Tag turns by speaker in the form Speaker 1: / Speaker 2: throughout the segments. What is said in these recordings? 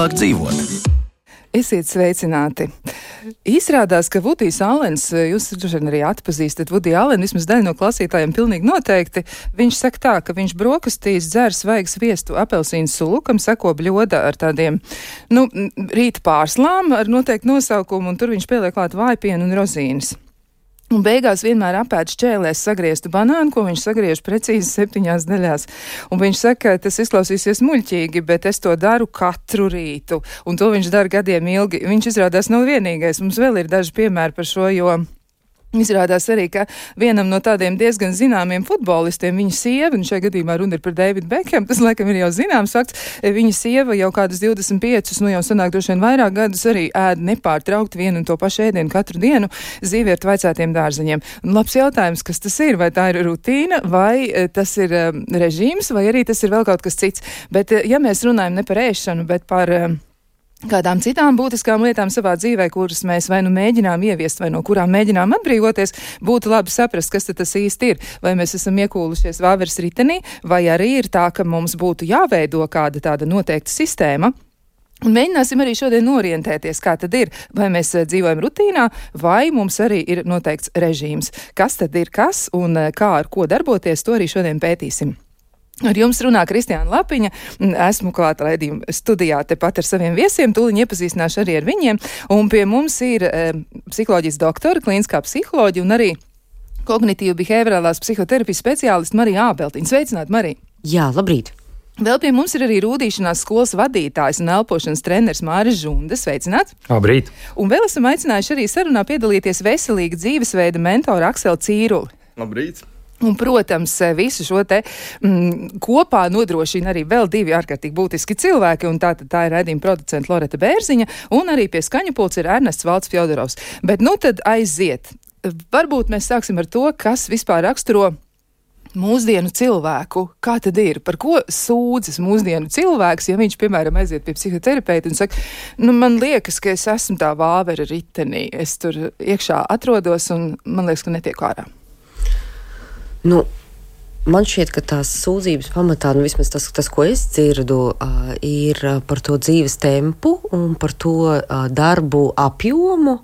Speaker 1: vieglāk dzīvot.
Speaker 2: Esiet sveicināti! Izrādās, ka Vudijs Allens, jūs droši vien arī atpazīstat Vudiju Allenu, vismaz daļa no klausītājiem pilnīgi noteikti, viņš saka tā, ka viņš brokastīs dzer svaigu sviestu apelsīnu sulu, kam seko bļoda ar tādiem, rīta pārslām ar noteiktu nosaukumu, un tur viņš pieliek klāt vājpienu un rozīnes. Un beigās vienmēr apēd šķēlēs sagrieztu banānu, ko viņš sagriež precīzi 7 daļās. Un viņš saka, tas izklausīsies muļķīgi, bet es to daru katru rītu. Un to viņš dara gadiem ilgi. Viņš izrādās nav vienīgais. Mums vēl ir daži piemēri par šo, jo izrādās arī, ka vienam no tādiem diezgan zināmiem futbolistiem, viņa sieva, un šajā gadījumā runa ir par Davidu Bekhemu, tas laikam ir jau zināms fakts, viņa sieva jau kādas 25, jau sanāk droši vien vairāk gadus arī ēd nepārtraukti vienu un to pašu ēdienu katru dienu zīvietu vaicētiem dārzeņiem. Un labs jautājums, kas tas ir? Vai tā ir rutīna, vai tas ir režīms, vai arī tas ir vēl kaut kas cits? Bet ja mēs runājam ne par ēšanu, bet par kādām citām būtiskām lietām savā dzīvē, kuras mēs vai nu mēģinām ieviest, vai no kurām mēģinām atbrīvoties, būtu labi saprast, kas tas īsti ir. Vai mēs esam iekūlušies vāveres ritenī, vai arī ir tā, ka mums būtu jāveido kāda tāda noteikta sistēma. Un mēģināsim arī šodien orientēties, kā tad ir, vai mēs dzīvojam rutīnā, vai mums arī ir noteikts režīms. Kas tad ir kas un kā ar ko darboties, to arī šodien pētīsim. Ar jums runā Kristiāna Lapiņa, esmu klāta raidījuma studijā tepat ar saviem viesiem, tūliņ iepazīstināšu arī ar viņiem, un pie mums ir psiholoģijas doktora, klīniskā psiholoģija un arī kognitīva behaviorālās psihoterapijas speciālista Marija Ābeltiņa. Sveicināt, Marija!
Speaker 3: Jā, labrīt!
Speaker 2: Vēl pie mums ir arī rūdīšanās skolas vadītājs un elpošanas treneris Māris Žunda. Sveicināts!
Speaker 4: Labrīt!
Speaker 2: Un vēl esam aicinājuši arī sarunā piedalīties veselīga dzīvesveida mentora Akseli Cīruli.
Speaker 5: Labrīt!
Speaker 2: Un, protams, visu šo te kopā nodrošina arī vēl 2 ārkārtīgi būtiski cilvēki, un tā ir raidījuma producenta Loreta Bērziņa, un arī pie skaņu pults ir Ernests Valds Fjodorovs. Bet tad aiziet. Varbūt mēs sāksim ar to, kas vispār raksturo mūsdienu cilvēku. Kā tad ir? Par ko sūdzas mūsdienu cilvēks, ja viņš, piemēram, aiziet pie psihoterapeita un saka, man liekas, ka es esmu tā vāvera ritenī. Es tur iekšā atrodos un man liekas, ka netiek ārā.
Speaker 3: Man šķiet, ka tās sūdzības pamatā, vismaz tas, ko es dzirdu, ir par to dzīves tempu un par to darbu apjomu,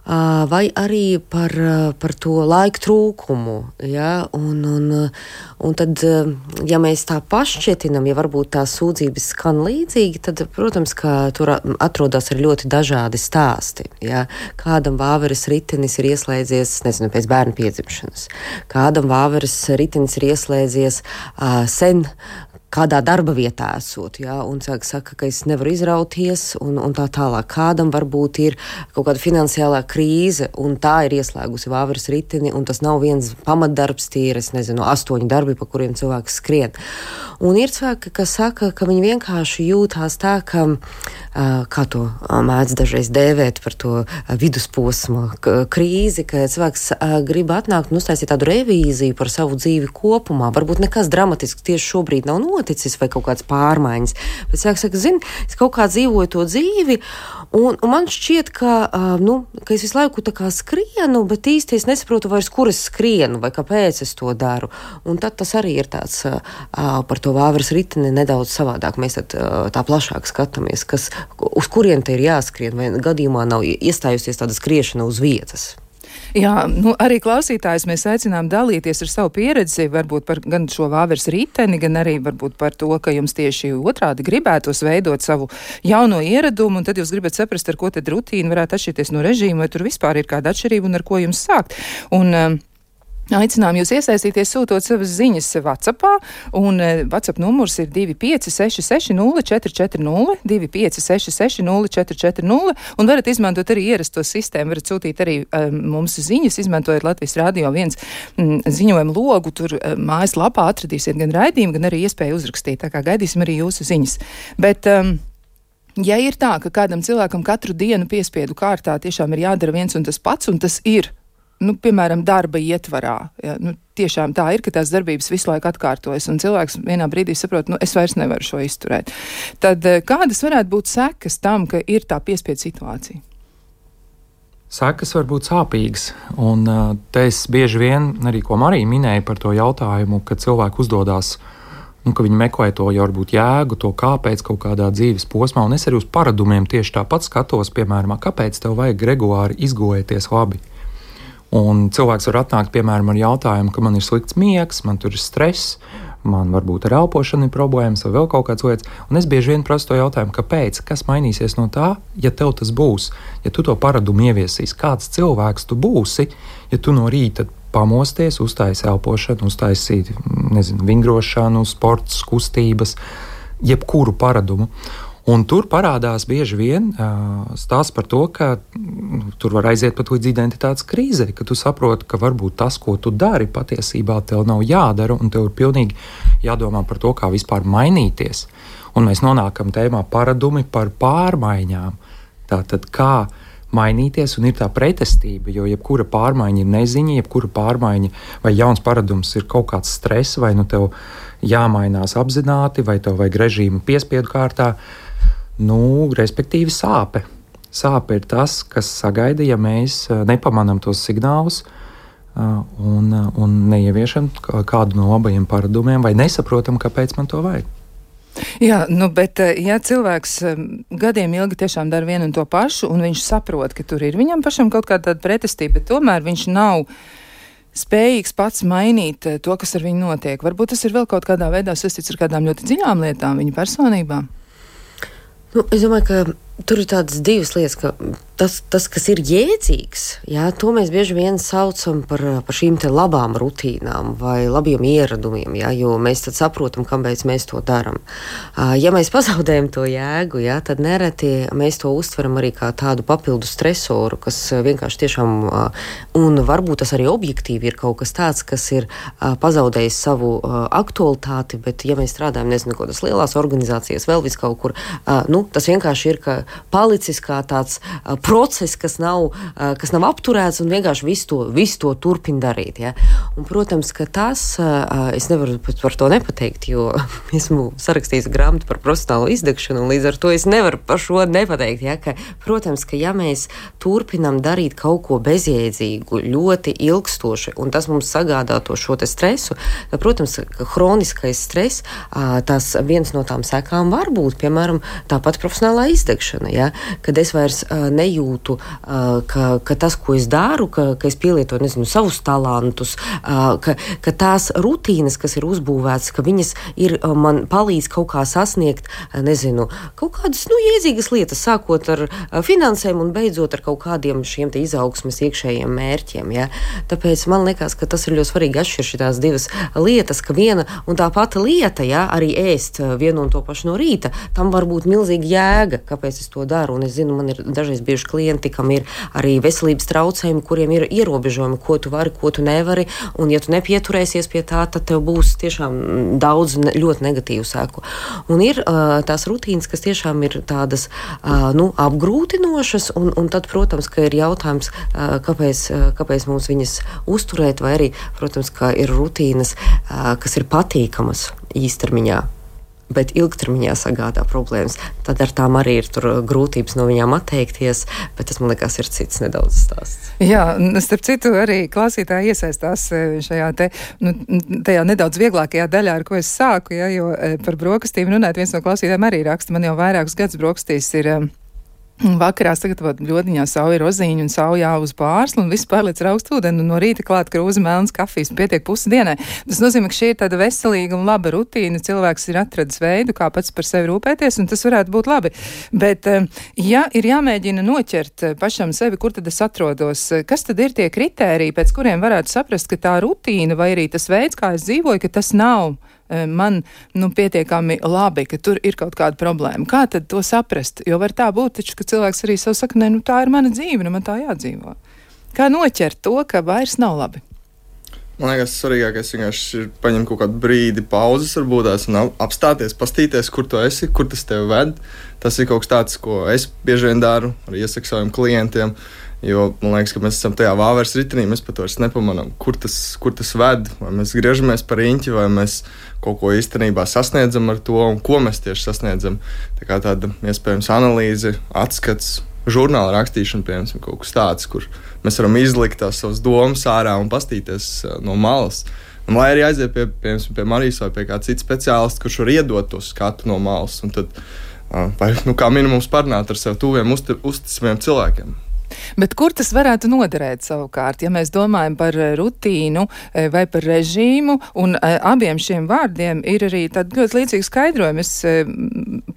Speaker 3: vai arī par to laika trūkumu. Ja? Un tad, ja mēs tā paššķietinam, ja varbūt tās sūdzības skan līdzīgi, tad, protams, ka tur atrodas arī ļoti dažādi stāsti. Ja? Kādam vāveres ritenis ir ieslēdzies, pēc bērna piedzimšanas. Kādam vāveres ritenis ir ieslēdzies sen, kādā darba vietā esot, ja, un saka, ka es nevaru izrauties, un tā tālāk. Kādam varbūt ir kaut kāda finansiālā krīze, un tā ir ieslēgusi vāveres riteni, un tas nav viens pamatdarbs, tie ir, 8 darbi, pa kuriem cilvēks skrien. Un ir cilvēki, kas saka, ka viņi vienkārši jūtās tā, ka, kā to mēdz dažreiz dēvēt par to vidusposma krīzi, ka cilvēks grib atnākt un uztaisīt tādu revīziju par savu dzīvi kopumā. Varbūt nekas dramatisks tieši šobrīd nav noticis vai kaut kāds pārmaiņas. Bet cilvēks saka, es kaut kā dzīvoju to dzīvi, un man šķiet, ka es visu laiku tā kā skrienu, bet īsti es nesaprotu vairs, kur es skrienu vai kāpēc es to daru. Un tad tas arī ir tāds par to vāveres riteni nedaudz savādāk. Mēs tad tā plašāk skatāmies, uz kurien te ir jāskrien, vai gadījumā nav iestājusies tāda skriešana uz vietas.
Speaker 2: Jā, arī klausītājus mēs aicinām dalīties ar savu pieredzi, varbūt par gan šo vāveres riteni, gan arī varbūt par to, ka jums tieši otrādi gribētos veidot savu jauno ieradumu, un tad jūs gribat saprast, ar ko tad rutīna varētu atšķirties no režīma, vai tur vispār ir kāda atšķirība un ar ko jums sākt. Un aicinām jūs iesaistīties, sūtot savas ziņas WhatsAppā, un WhatsApp numurs ir 25660 440, 25660 un varat izmantot arī ierasto sistēmu, varat sūtīt arī mums ziņas, izmantojot Latvijas Radio 1 ziņojumu logu, tur mājaslapā atradīsiet gan raidījumu, gan arī iespēju uzrakstīt, tā kā gaidīsim arī jūsu ziņas. Bet ja ir tā, ka kādam cilvēkam katru dienu piespiedu kārtā tiešām ir jādara viens un tas pats, un tas ir piemēram, darba ietvarā. Ja, tiešām tā ir, ka tās darbības visu laiku atkārtojas, un cilvēks vienā brīdī saprot, es vairs nevaru šo izturēt. Tad kādas varētu būt sekas tam, ka ir tā piespiedu situācija?
Speaker 4: Sekas var būt sāpīgas, un te es bieži vien, arī ko Marija minēja par to jautājumu, ka cilvēki uzdodās, un ka viņi meklē to jau varbūt jēgu, to kāpēc kaut kādā dzīves posmā, un es arī uz paradumiem tieši tāpat skatos, piemēram, kāpēc tev vajag regulāri izgulēties labi. Un cilvēks var atnākt, piemēram, ar jautājumu, ka man ir slikts miegs, man tur ir stress, man varbūt ar elpošanu ir problēmas vai vēl kaut kāds lietas, un es bieži vien prasu to jautājumu, kāpēc, kas mainīsies no tā, ja tev tas būs, ja tu to paradumu ieviesīs, kāds cilvēks tu būsi, ja tu no rīta pamosties, uztaisi elpošanu, uztaisīt, vingrošanu, sports, kustības, jebkuru paradumu. Un tur parādās bieži vien stāsts par to, ka tur var aiziet pat līdz identitātes krīzei, ka tu saproti, ka varbūt tas, ko tu dari, patiesībā tev nav jādara, un tev ir pilnīgi jādomā par to, kā vispār mainīties. Un mēs nonākam tēmā paradumi par pārmaiņām. Tātad, kā mainīties, un ir tā pretestība, jo jebkura pārmaiņa ir neziņa, jebkura pārmaiņa vai jauns paradums ir kaut kāds stress, vai nu tev jāmainās apzināti, vai tev vajag režīmu piespiedu kārtā, respektīvi sāpe. Sāpe ir tas, kas sagaida, ja mēs nepamanām tos signālus un neieviešam kādu no labajiem paradumiem, vai nesaprotam, kāpēc man to vajag.
Speaker 2: Jā, bet ja cilvēks gadiem ilgi tiešām dara vienu un to pašu, un viņš saprot, ka tur ir viņam pašam kaut kāda pretestība, bet tomēr viņš nav spējīgs pats mainīt to, kas ar viņu notiek. Varbūt tas ir vēl kaut kādā veidā saistīts ar kādām ļoti dziļām lietām viņa personībā.
Speaker 3: Es domāju, ka tur ir tādas divas lietas, ka tas kas ir jēdzīgs, to mēs bieži vien saucam par šīm te labām rutīnām vai labiem ieradumiem, jo mēs tad saprotam, kāpēc mēs to darām. Ja mēs pazaudējam to jēgu, tad nereti mēs to uztveram arī kā tādu papildu stresoru, kas vienkārši tiešām, un varbūt tas arī objektīvi ir kaut kas tāds, kas ir pazaudējis savu aktualitāti, bet ja mēs strādājam, kādas lielās organizācijas, vēl vis kaut kur, tas vienkārši ir palicis kā tāds process, kas nav apturēts un vienkārši visu to turpina darīt. Ja? Un, protams, ka tas, es nevaru par to nepateikt, jo esmu sarakstījis grāmatu par profesionālo izdegšanu, un līdz ar to es nevaru par šo nepateikt. Ja? Protams, ka ja mēs turpinam darīt kaut ko bezjēdzīgu, ļoti ilgstoši, un tas mums sagādā to šo te stresu, tad, protams, ka hroniskais stress, tas viens no tām sekām var būt, piemēram, tāpat profesionālā izdegšana. Ja? Kad es vairs nejūtu, ka tas, ko es daru, ka es pielietoju, savus talantus, ka tās rutīnas, kas ir uzbūvētas, ka viņas man palīdz kaut kā sasniegt, kaut kādas, jēdzīgas lietas, sākot ar finansēm un beidzot ar kaut kādiem šiem te izaugsmes iekšējiem mērķiem. Ja? Tāpēc man liekas, ka tas ir ļoti svarīgi atšķirt šitās divas lietas, ka viena un tā pati lieta, arī ēst vienu un to pašu no rīta, tam var būt milzīga jēga, kāpēc es to daru. Un es zinu, man ir dažreiz bijuši klienti, kam ir arī veselības traucējumi, kuriem ir ierobežojumi, ko tu vari, ko tu nevari. Un ja tu nepieturēsies pie tā, tad tev būs tiešām daudz ļoti negatīvu seku. Un ir tās rutīnas, kas tiešām ir tādas apgrūtinošas, un tad, protams, ka ir jautājums, kāpēc mums viņas uzturēt, vai arī, protams, ka ir rutīnas, kas ir patīkamas īstermiņā, bet ilgtermiņā sagādā problēmas. Tad ar tām arī ir grūtības no viņām atteikties, bet tas, man liekas, ir cits nedaudz stāsts.
Speaker 2: Jā, starp citu, arī klausītāji iesaistās šajā tajā nedaudz vieglākajā daļā, ar ko es sāku, jo par brokastīm runāt, viens no klausītājiem arī raksta, man jau vairākus gadus brokastīs ir vakarā sagatavot ļodiņā sauju rozīņu un sauju uz pārslu un viss pārliec ar augstu ūdeni un no rīta klāt krūze melnas kafijas un pietiek pusi dienai. Tas nozīmē, ka šī ir tāda veselīga un laba rutīna. Cilvēks ir atradis veidu, kā pats par sevi rūpēties, un tas varētu būt labi. Bet, ja ir jāmēģina noķert pašam sevi, kur tad es atrodos, kas tad ir tie kritēriji, pēc kuriem varētu saprast, ka tā rutīna vai arī tas veids, kā es dzīvoju, ka tas nav man pietiekami labi, ka tur ir kaut kāda problēma. Kā tad to saprast? Jo var tā būt, taču, ka cilvēks arī sev saka, tā ir mana dzīve, man tā jādzīvo. Kā noķert to, ka vairs nav labi?
Speaker 1: Man liekas, svarīgākais vienkārši ir paņemt kaut kādu brīdi pauzes, varbūt un apstāties, pastīties, kur tu esi, kur tas tevi ved. Tas ir kaut kas tāds, ko es bieži vien daru, arī iesaku saviem klientiem. Jo man liekas, ka mēs esam tajā vāveres ritenī, mēs pat vairs nepamanām, kur tas ved, vai mēs griežamies par riņķi, vai mēs kaut ko īstenībā sasniedzam ar to, un ko mēs tieši sasniedzam. Tā kā tāda iespējams analīze, atskats, žurnāla rakstīšana, piemēram, kaut kas tāds, kur mēs varam izlikt tās savas domas ārā un pastīties no malas. Un lai arī aiziet pie Marijas vai pie kāda cita speciālista, kurš var iedot to skatu no malas, un tad, vai, kā minimums parunāt ar sev tuviem, uzticamiem cilvēkiem.
Speaker 2: Bet kur tas varētu noderēt savukārt, ja mēs domājam par rutīnu vai par režīmu, un abiem šiem vārdiem ir arī tādi ļoti līdzīgi skaidrojumi. Es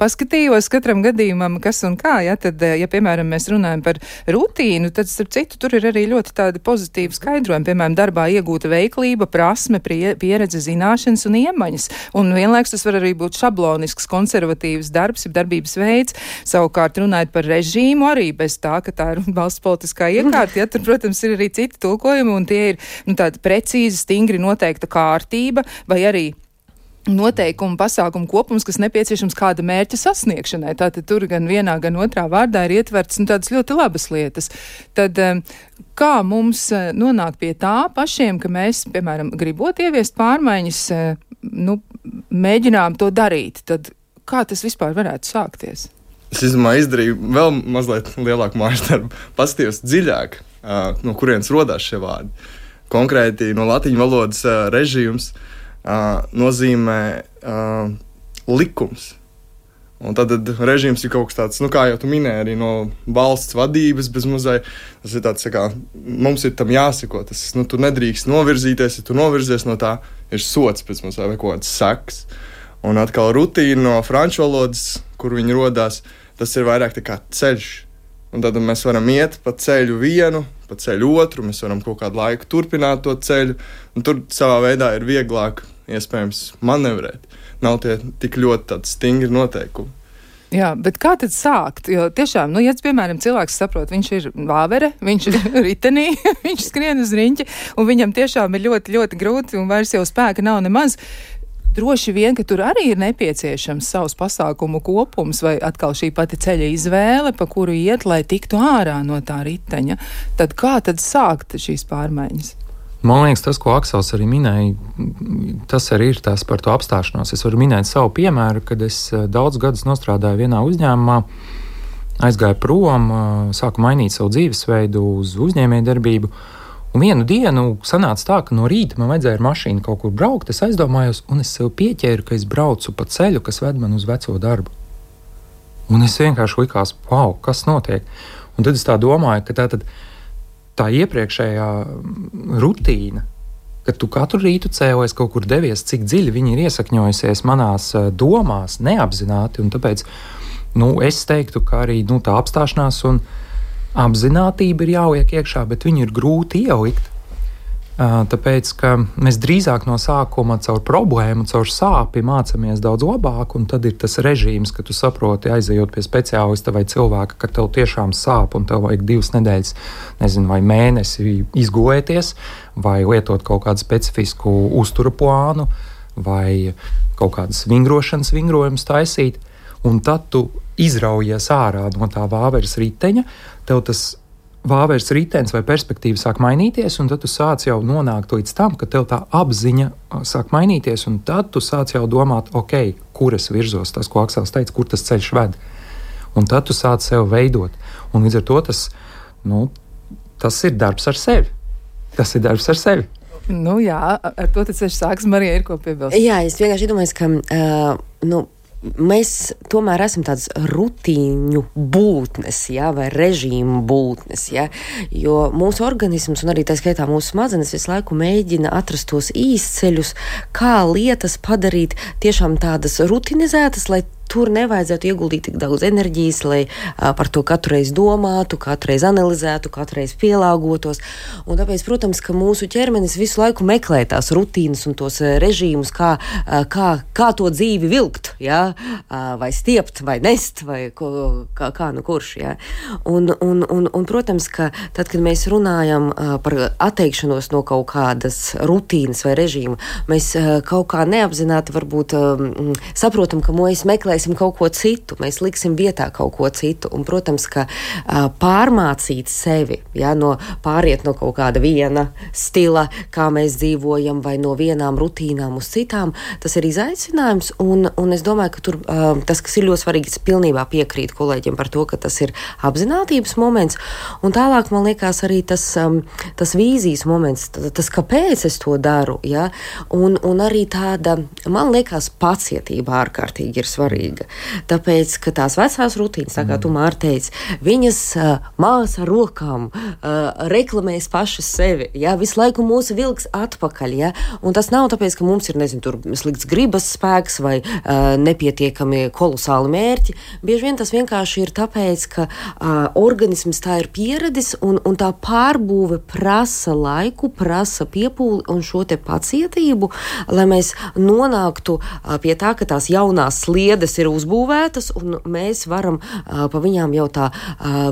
Speaker 2: paskatījos katram gadījumam, kas un kā, ja, tad, ja piemēram mēs runājam par rutīnu, tad starp citu tur ir arī ļoti tādi pozitīvi skaidrojumi, piemēram, darbā iegūta veiklība, prasme, pieredze, zināšanas un iemaņas, un vienlaiks tas var arī būt šablonisks, konservatīvs darbs, darbības veids. Savukārt runājot par režīmu arī bez tā, ka tā ir valsts politiskā iekārta, ja tur, protams, ir arī citi tulkojumi, un tie ir tāda precīzi, stingri noteikta kārtība, vai arī noteikumu pasākumu kopums, kas nepieciešams kāda mērķa sasniegšanai. Tātad tur gan vienā, gan otrā vārdā ir ietverts tādas ļoti labas lietas. Tad kā mums nonāk pie tā pašiem, ka mēs, piemēram, gribot ieviest pārmaiņas, mēģinām to darīt, tad kā tas vispār varētu sākties?
Speaker 1: Es izdarīju vēl mazliet lielāku mājas darbu, paskatījos dziļāk, no kurienes rodās šie vārdi. Konkrēti no latīņu valodas režīms nozīmē likums. Un tad režīms ir kaut kas tāds, kā jau tu minēji, arī no valsts vadības bez mazai. Tas ir tāds, kā mums ir tam jāseko. Tas, tu nedrīkst novirzīties, ja tu novirzies no tā, ir sots pēc mazai vai kaut kāds seks. Un atkal rutīna no franču valodas, kur viņi rodās, tas ir vairāk tā kā ceļš. Un tad mēs varam iet pa ceļu vienu, pa ceļu otru, mēs varam kaut kādu laiku turpināt to ceļu, un tur savā veidā ir vieglāk iespējams manevrēt. Nav tie tik ļoti tādi stingri noteikumi.
Speaker 2: Jā, bet kā tad sākt? Jo tiešām, ja piemēram cilvēks saprot, viņš ir vāvere, viņš ir ritenī, viņš skrien uz riņķi, un viņam tiešām ir ļoti, ļoti grūti, un vairs jau spēka nav nemaz. Droši vien, ka tur arī ir nepieciešams savs pasākumu kopums vai atkal šī pati ceļa izvēle, pa kuru iet, lai tiktu ārā no tā riteņa. Tad kā tad sākt šīs pārmaiņas?
Speaker 4: Man liekas, tas, ko Aksels arī minēja, tas arī ir tās par to apstāšanos. Es varu minēt savu piemēru, kad es daudz gadus nostrādāju vienā uzņēmumā, aizgāju prom, sāku mainīt savu dzīvesveidu uz uzņēmējdarbību. Un vienu dienu sanāca tā, ka no rīta man vajadzēja ar mašīnu kaut kur braukt, es aizdomājos, un es sev pieķēru, ka es braucu pa ceļu, kas ved man uz veco darbu. Un es vienkārši likās, wow, kas notiek? Un tad es tā domāju, ka tā iepriekšējā rutīna, kad tu katru rītu cēlies, kaut kur devies, cik dziļi viņi ir iesakņojusies manās domās, neapzināti, un tāpēc, es teiktu, ka arī tā apstāšanās un apzinātība ir jāliek iekšā, bet viņu ir grūti ielikt. Tāpēc, ka mēs drīzāk no sākuma caur problēmu, caur sāpi mācāmies daudz labāk, un tad ir tas režīms, ka tu saproti, aizejot pie speciālista vai cilvēka, ka tev tiešām sāp un tev vajag 2 nedēļas, vai mēnesi izgulēties, vai lietot kaut kādu specifisku uztura plānu, vai kaut kādas vingrojumus taisīt, un tad tu izraujies ārā no tā vāveres riteņa, tev tas vāveres ritenis vai perspektīva sāk mainīties, un tad tu sāc jau nonākt līdz tam, ka tev tā apziņa sāk mainīties, un tad tu sāc jau domāt, ok, kur es virzos, tas, ko Aksels teica, kur tas ceļš ved. Un tad tu sāc sev veidot. Un līdz ar to tas ir darbs ar sevi. Tas ir darbs ar sevi.
Speaker 2: Jā, ar to tas ceļš sāks. Marija, ir ko piebilst?
Speaker 3: Jā, es vienkārši iedomājos, ka mēs tomēr esam tādas rutīņu būtnes, vai režīmu būtnes, jo mūsu organisms un arī tā skaitā mūsu smadzenes visu laiku mēģina atrast tos īsceļus, kā lietas padarīt tiešām tādas rutinizētas, lai tur nevajadzētu ieguldīt tik daudz enerģijas, lai par to katru reizi domātu, katru reizi analizētu, katru reizi pielāgotos. Un tāpēc, protams, ka mūsu ķermenis visu laiku meklē tās rutīnas un tos režīmus, kā to dzīvi vilkt, vai stiept, vai nest, vai kā nu kurš. Un, protams, ka tad, kad mēs runājam par atteikšanos no kaut kādas rutīnas vai režīma, mēs kaut kā neapzināti varbūt saprotam, ka mēs meklēsim definēsim kaut ko citu, mēs liksim vietā kaut ko citu. Un, protams, ka pārmācīt sevi, pāriet no kaut kāda viena stila, kā mēs dzīvojam, vai no vienām rutīnām uz citām, tas ir izaicinājums. Un es domāju, ka tur tas, kas ir ļoti svarīgi, es pilnībā piekrītu kolēģiem par to, ka tas ir apzinātības moments. Un tālāk, man liekas, arī tas vīzijas moments, tas kāpēc es to daru, ja? Un arī tāda, man liekas, pacietība ārkārtīgi ir svarīga. Tāpēc, ka tās vecās rutīnas, tā kā tu, Māra, teici, viņas māsa ar rokām reklamēs pašas sevi, ja? Visu laiku mūsu vilks atpakaļ, ja? Un tas nav tāpēc, ka mums ir, tur slikts gribas spēks vai nepietiekami kolosāli mērķi. Bieži vien tas vienkārši ir tāpēc, ka organisms tā ir pieredis un tā pārbūve prasa laiku, prasa piepūli un šo te pacietību, lai mēs nonāktu pie tā, ka tās jaunās sliedes ir uzbūvētas un mēs varam pa viņām jau tā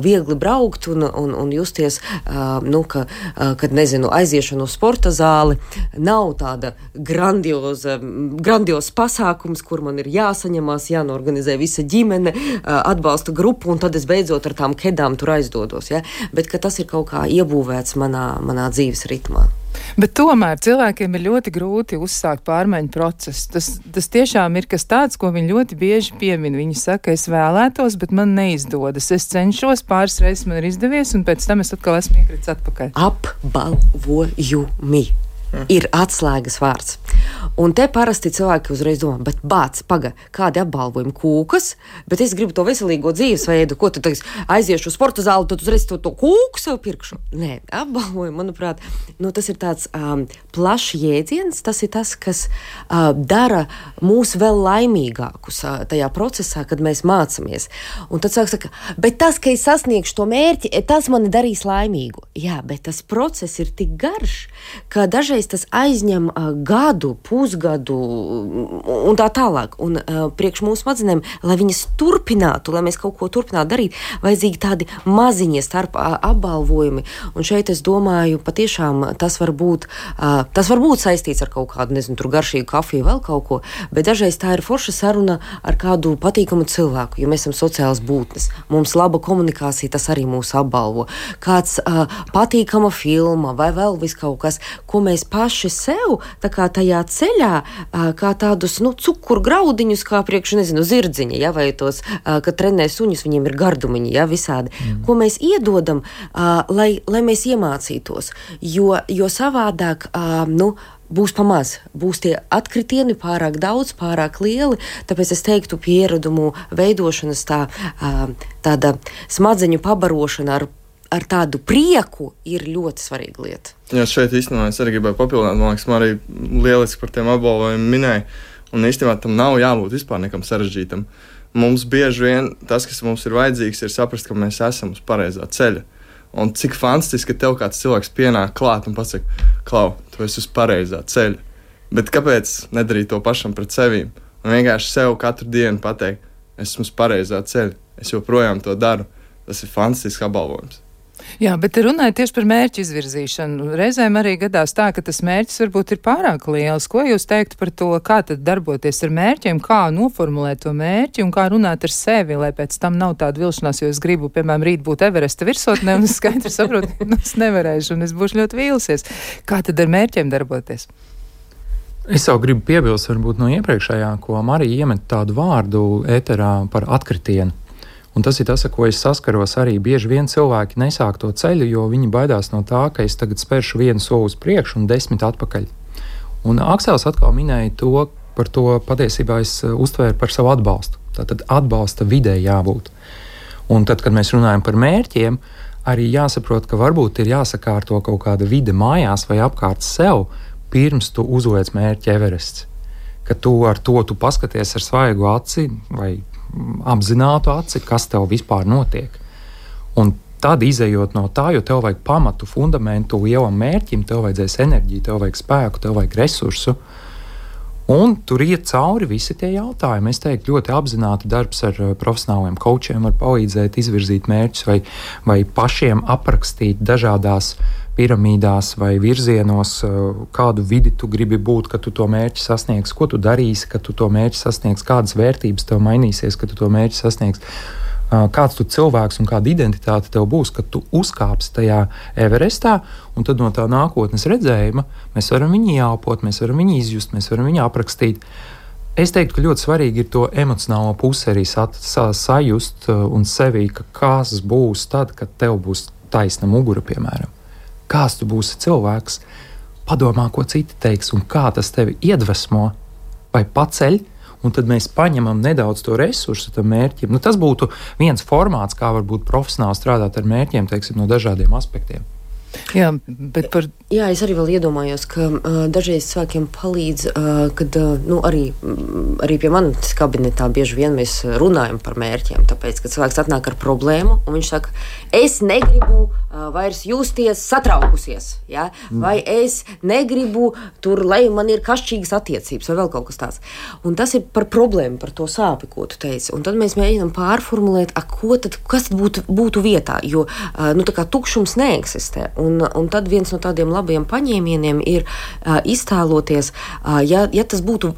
Speaker 3: viegli braukt un justies, kad, aiziešana uz sporta zāli nav tāda grandios pasākums, kur man ir jāsaņemās, jānorganizē visa ģimene, atbalsta grupu un tad es beidzot ar tām kedām tur aizdodos, ja? Bet ka tas ir kaut kā iebūvēts manā dzīves ritmā.
Speaker 2: Bet tomēr cilvēkiem ir ļoti grūti uzsākt pārmaiņu procesu. Tas tiešām ir kas tāds, ko viņi ļoti bieži piemin. Viņi saka, es vēlētos, bet man neizdodas. Es cenšos, pāris reizes man ir izdevies, un pēc tam es atkal esmu iekritis atpakaļ.
Speaker 3: Apbalvojumi ir atslēgas vārds. Un te parasti cilvēki uzreiz domā, bet kādi apbalvojumi kūkas, bet es gribu to veselīgo dzīvesveidu, ko tu aiziešu uz sporta zāli, tad uzreiz to kūku sev pirkšu. Nē, apbalvojumi, manuprāt, tas ir tāds plašs jēdziens, tas ir tas, kas dara mūs vēl laimīgākus tajā procesā, kad mēs mācamies. Un tad saka, bet tas, ka es sasniegšu to mērķi, tas mani darīs laimīgu. Jā, bet tas process ir tik garš, ka dažreiz tas aizņem gadu, pusgadu un tā tālāk. Un priekš mūsu smadzenēm, lai viņas turpinātu, lai mēs kaut ko turpinātu darīt, vajadzīgi tādi maziņie starp apbalvojumi. Un šeit es domāju, patiešām tas var būt saistīts ar kaut kādu, tur garšīgu kafiju, vēl kaut ko, bet dažreiz tā ir forša saruna ar kādu patīkamu cilvēku, jo mēs esam sociālas būtnes. Mums laba komunikācija, tas arī mūs apbalvo. Kāds patīkama filma vai vēl vis kaut kas, ko mēs paši sev, tā kā tajā ceļā, kā tādus, cukuru graudiņus, kā priekš, zirdziņa, ja, vai tos, kad trenē suņus, viņiem ir gardumiņi, ja, visādi, ko mēs iedodam, lai mēs iemācītos, jo savādāk, būs pamaz, būs tie atkritieni pārāk daudz, pārāk lieli, tāpēc es teiktu pieradumu veidošanas tāda smadzeņu pabarošana ar tādu prieku ir ļoti svarīga lieta.
Speaker 1: Jā, šeit īstenībā es arī gribēju papildināt, man liekas, man arī lieliski par tiem apbalvojumiem minēja, un īstenībā tam nav jābūt vispār nekam sarežģītam. Mums bieži vien tas, kas mums ir vajadzīgs, ir saprast, ka mēs esam uz pareizā ceļa. Un cik fantastiski, ka tev kāds cilvēks pienāk klāt un pasaka, Klau, tu esi uz pareizā ceļa. Bet kāpēc nedarīt to pašam pret sevīm? Un vienkārši sev katru dienu pateikt, esmu uz pareizā ceļa, es joprojām to daru. Tas ir fantastisks apbalvojums.
Speaker 2: Jā, bet runājot tieši par mērķu izvirzīšanu, reizēm arī gadās tā, ka tas mērķis varbūt ir pārāk liels. Ko jūs teiktu par to, kā tad darboties ar mērķiem, kā noformulēt to mērķi un kā runāt ar sevi, lai pēc tam nav tāda vilšanās, jo es gribu, piemēram, rīt būt Everesta virsotnē un es skaidri saprotu, ka es nevarēšu un es būšu ļoti vīlusies. Kā tad ar mērķiem darboties?
Speaker 4: Es jau gribu piebilst varbūt no iepriekšējā, ko Marija iemet tādu vārdu ēterā par atkritienu. Un tas ir tas, ar ko es saskaros arī. Bieži vien cilvēki nesāk to ceļu, jo viņi baidās no tā, ka es tagad spēršu vienu soli uz priekšu un 10 atpakaļ. Un Aksels atkal minēja to, par to patiesībā es uztvēru par savu atbalstu. Tātad atbalsta vidē jābūt. Un tad, kad mēs runājam par mērķiem, arī jāsaprot, ka varbūt ir jāsakārto kaut kāda vide mājās vai apkārt sev, pirms tu uzliec mērķi Everests. Ka tu ar to tu paskaties ar svaigu aci vai apzinātu aci, kas tev vispār notiek. Un tad izejot no tā, jo tev vajag pamatu, fundamentu lielam mērķim, tev vajadzēs enerģiju, tev vajag spēku, tev vajag resursu. Un tur iet cauri visi tie jautājumi. Es teiktu, ļoti apzināti darbs ar profesionāliem kaučiem var palīdzēt izvirzīt mērķus vai pašiem aprakstīt dažādās piramīdās vai virzienos, kādu vidi tu gribi būt, kad tu to mērķi sasniegsi, ko tu darīsi, kad tu to mērķi sasniegsi, kādas vērtības tev mainīsies, kad tu to mērķi sasniegsi, kāds tu cilvēks un kāda identitāte tev būs, kad tu uzkāpsi tajā Everestā, un tad no tā nākotnes redzējuma mēs varam viņu jāpot, mēs varam viņu izjust, mēs varam viņu aprakstīt. Es teiktu, ka ļoti svarīgi ir to emocionālo pusi arī sajust un sevī, ka kas būs tad, kad tev būs taisna mugura, piemēram. Kāds tu būsi cilvēks, padomā, ko citi teiks, un kā tas tevi iedvesmo vai paceļ, un tad mēs paņemam nedaudz to resursu tam mērķim. Tas būtu viens formāts, kā varbūt profesionāli strādāt ar mērķiem, teiksim, no dažādiem aspektiem.
Speaker 2: Jā, bet par...
Speaker 3: Jā, es arī vēl iedomājos, ka dažreiz cilvēkiem palīdz, kad arī pie manis kabinetā bieži vien mēs runājam par mērķiem, tāpēc, ka cilvēks atnāk ar problēmu, un viņš saka, es negribu vairs justies satraukusies, ja? Vai es negribu tur, lai man ir kašķīgas attiecības, vai vēl kaut kas tāds. Un tas ir par problēmu, par to sāpi, ko tu teici. Un tad mēs mēģinām pārformulēt, kas būtu vietā, jo tā kā tukšums neeksistē. Un tad viens no tādiem labiem paņēmieniem ir iztēloties, ja tas būtu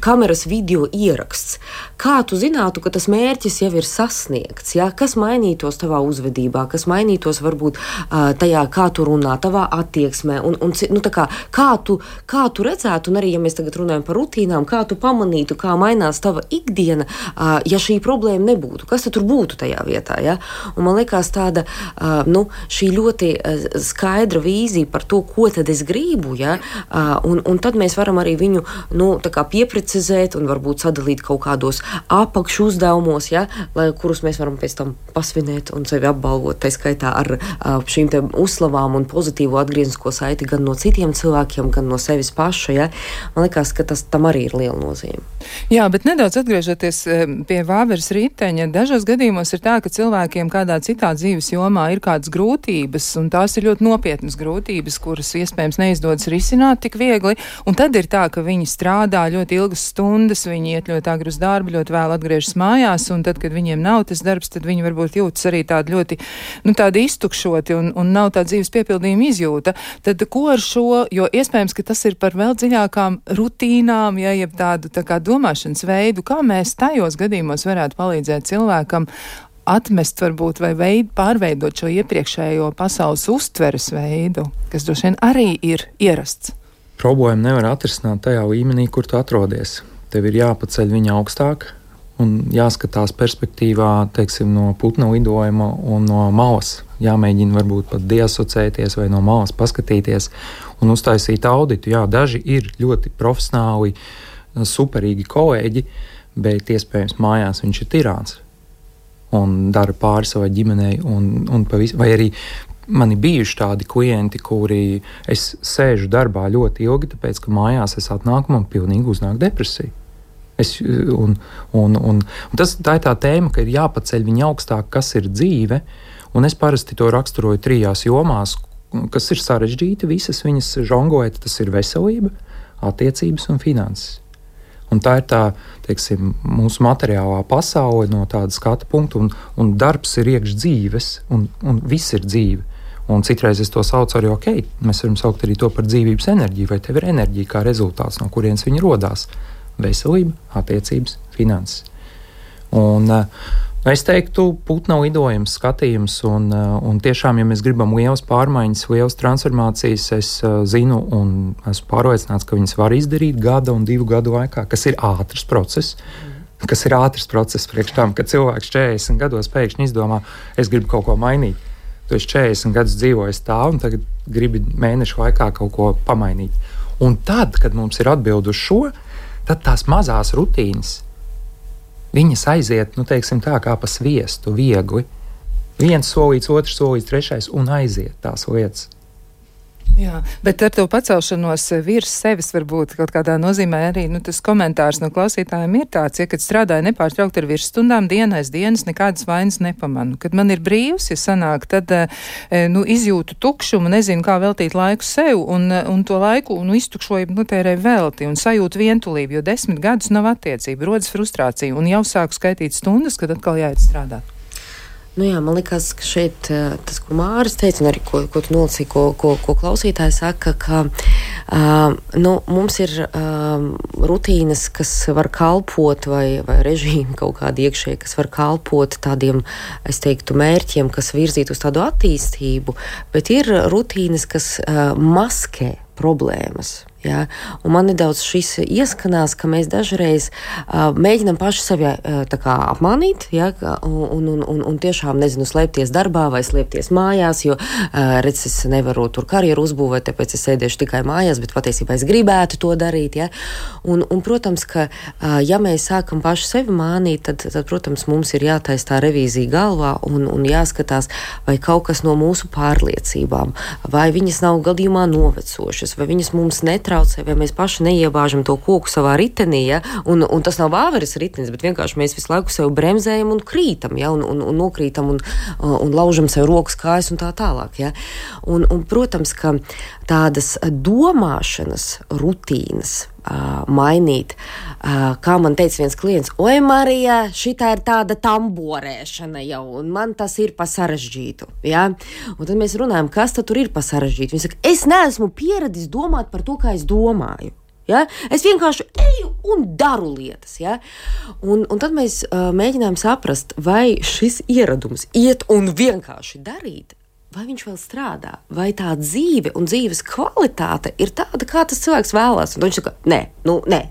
Speaker 3: kameras video ieraksts, kā tu zinātu, ka tas mērķis jau ir sasniegts, ja? Kas mainītos tavā uzvedībā, kas mainītos varbūt tajā, kā tu runā, tavā attieksmē, kā tu redzētu, un arī, ja mēs tagad runājam par rutīnām, kā tu pamanītu, kā mainās tava ikdiena, ja šī problēma nebūtu, kas tad tur būtu tajā vietā, ja? Un man liekas tāda, šī ļoti skaidra vīzija par to, ko tad es gribu, ja? Un tad mēs varam arī viņu, pieprecizēt un varbūt sadalīt kaut kādos apakšu uzdevumos, ja? Kurus mēs varam pēc tam pasvinēt un sevi apbalvot, tā skaitā ar šīm te uzslavām un pozitīvo atgrieznisko saiti gan no citiem cilvēkiem, gan no sevis paša, ja? Man liekas, ka tam arī ir liela nozīme.
Speaker 2: Jā, bet nedaudz atgriežoties pie Vāveres riteņa, dažos gadījumos ir tā, ka cilvēkiem kādā citā dzīves jomā ir kādas grūtības, un tās ir ļoti nopietnas grūtības, kuras iespējams neizdodas risināt tik viegli, un tad ir tā, ka viņi strādā ļoti ilgas stundas, viņi iet ļoti agri uz darbu, ļoti vēl atgriežas mājās, un tad, kad viņiem nav tas darbs, tad viņi varbūt jūtas arī tādi ļoti, tādi iztukšoti un nav tā dzīves piepildījuma izjūta. Tad ko ar šo, jo iespējams, ka tas ir par vēl dziļākām rutīnām, ja jeb tādu tā kā domāšanas veidu, kā mēs tajos gadījumos varētu palīdzēt cilvēkam atmest varbūt vai pārveidot šo iepriekšējo pasaules uztveres veidu, kas droši vien arī ir ierasts.
Speaker 4: Problēmu nevar atrisināt tajā līmenī, kur tu atrodies. Tev ir jāpaceļ viņa augstāk un jāskatās perspektīvā, teiksim, no putna lidojuma un no malas. Jāmēģina varbūt pat diasociēties vai no malas paskatīties un uztaisīt auditu. Jā, daži ir ļoti profesionāli, superīgi kolēģi, bet iespējams mājās viņš ir tirāns un dara pāri savai ģimenei vai arī man ir bijuši tādi klienti, kuri es sēžu darbā ļoti ilgi, tāpēc, ka mājās es atnāku, man pilnīgi uznāk depresija. Tā ir tā tēma, ka ir jāpaceļ viņa augstāk, kas ir dzīve, un es parasti to raksturoju 3 jomās, kas ir sarežģīti, visas viņas žongojat, tas ir veselība, attiecības un finanses. Un tā ir tā, teiksim, mūsu materiālā pasaule no tāda skata punkta, un darbs ir iekš dzīves, un viss ir dzīve. Un citreiz es to saucu arī, mēs varam saukt arī to par dzīvības enerģiju, vai tev ir enerģija kā rezultāts, no kurienes viņa rodās. Veselība, attiecības, finanses. Un es teiktu, putna lidojums, skatījums, un tiešām, ja mēs gribam lielas pārmaiņas, lielas transformācijas, es zinu un esmu pārliecināts, ka viņas var izdarīt 1 un 2 gadu laikā, kas ir ātrs process. Priekš tam, kad cilvēks 40 gados pēkšņi izdomā, es gribu kaut ko mainīt. Tu esi 40 gadus dzīvojis tā, un tagad gribi mēnešu laikā kaut ko pamainīt. Un tad, kad mums ir atbildi uz šo, tad tās mazās rutīnas, viņas aiziet, teiksim tā, kā pa sviestu, viegli. 1 solīts, 2 solīts, 3 un aiziet tās lietas.
Speaker 2: Jā, bet ar to pacelšanos virs sevis varbūt kaut kādā nozīmē arī tas komentārs no klausītājiem ir tāds, ja kad strādāju nepārtraukti ar virsstundām dienas, nekādas vainas nepamanu. Kad man ir brīvs, ja sanāk, tad izjūtu tukšumu, nezinu, kā veltīt laiku sev un to laiku iztukšoju tērēju velti un sajūtu vientulību, jo 10 gadus nav attiecība, rodas frustrācija un jau sāku skaitīt stundas, kad atkal jāiet strādāt.
Speaker 3: Nu jā, man liekas, ka šeit tas, ko Māris teica, un arī ko tu nolasīji, ko klausītāji saka, ka mums ir rutīnas, kas var kalpot, vai režīmi kaut kādi iekšēji, kas var kalpot tādiem, es teiktu, mērķiem, kas virzīt uz tādu attīstību, bet ir rutīnas, kas maskē problēmas. Ja? Un man nedaudz šis ieskanās, ka mēs dažreiz mēģinam paši sevi apmānīt, ja? un tiešām, nezinu, slēpties darbā vai slēpties mājās, jo, redz, es nevaru tur karjeru uzbūvēt, tāpēc es sēdēšu tikai mājās, bet patiesībā es gribētu to darīt. Ja? Un, protams, ka, ja mēs sākam paši sevi mānīt, tad, protams, mums ir jātaisa tā revīzija galvā un jāskatās, vai kaut kas no mūsu pārliecībām, vai viņas nav gadījumā novecošas, vai viņas mums netraucē, vai mēs paši neiebāžam to koku savā ritenī, ja? un tas nav vāveres ritenis, bet vienkārši mēs visu laiku sev bremzējam un krītam, ja? un nokrītam un laužam sev rokas, kājas un tā tālāk. Ja? Un, protams, ka tādas domāšanas rutīnas mainīt. Kā man teica viens klients, oi, Marija, šitā ir tāda tamborēšana jau, un man tas ir pa sarežģītu. Ja? Un tad mēs runājam, kas tad tur ir pa sarežģītu. Viņi saka, es neesmu pieradis domāt par to, kā es domāju. Ja? Es vienkārši eju un daru lietas. Ja? Un tad mēs mēģinām saprast, vai šis ieradums iet un vienkārši darīt, vai viņš vēl strādā, vai tā dzīve un dzīves kvalitāte ir tāda, kā tas cilvēks vēlās. Un viņš saka, nē,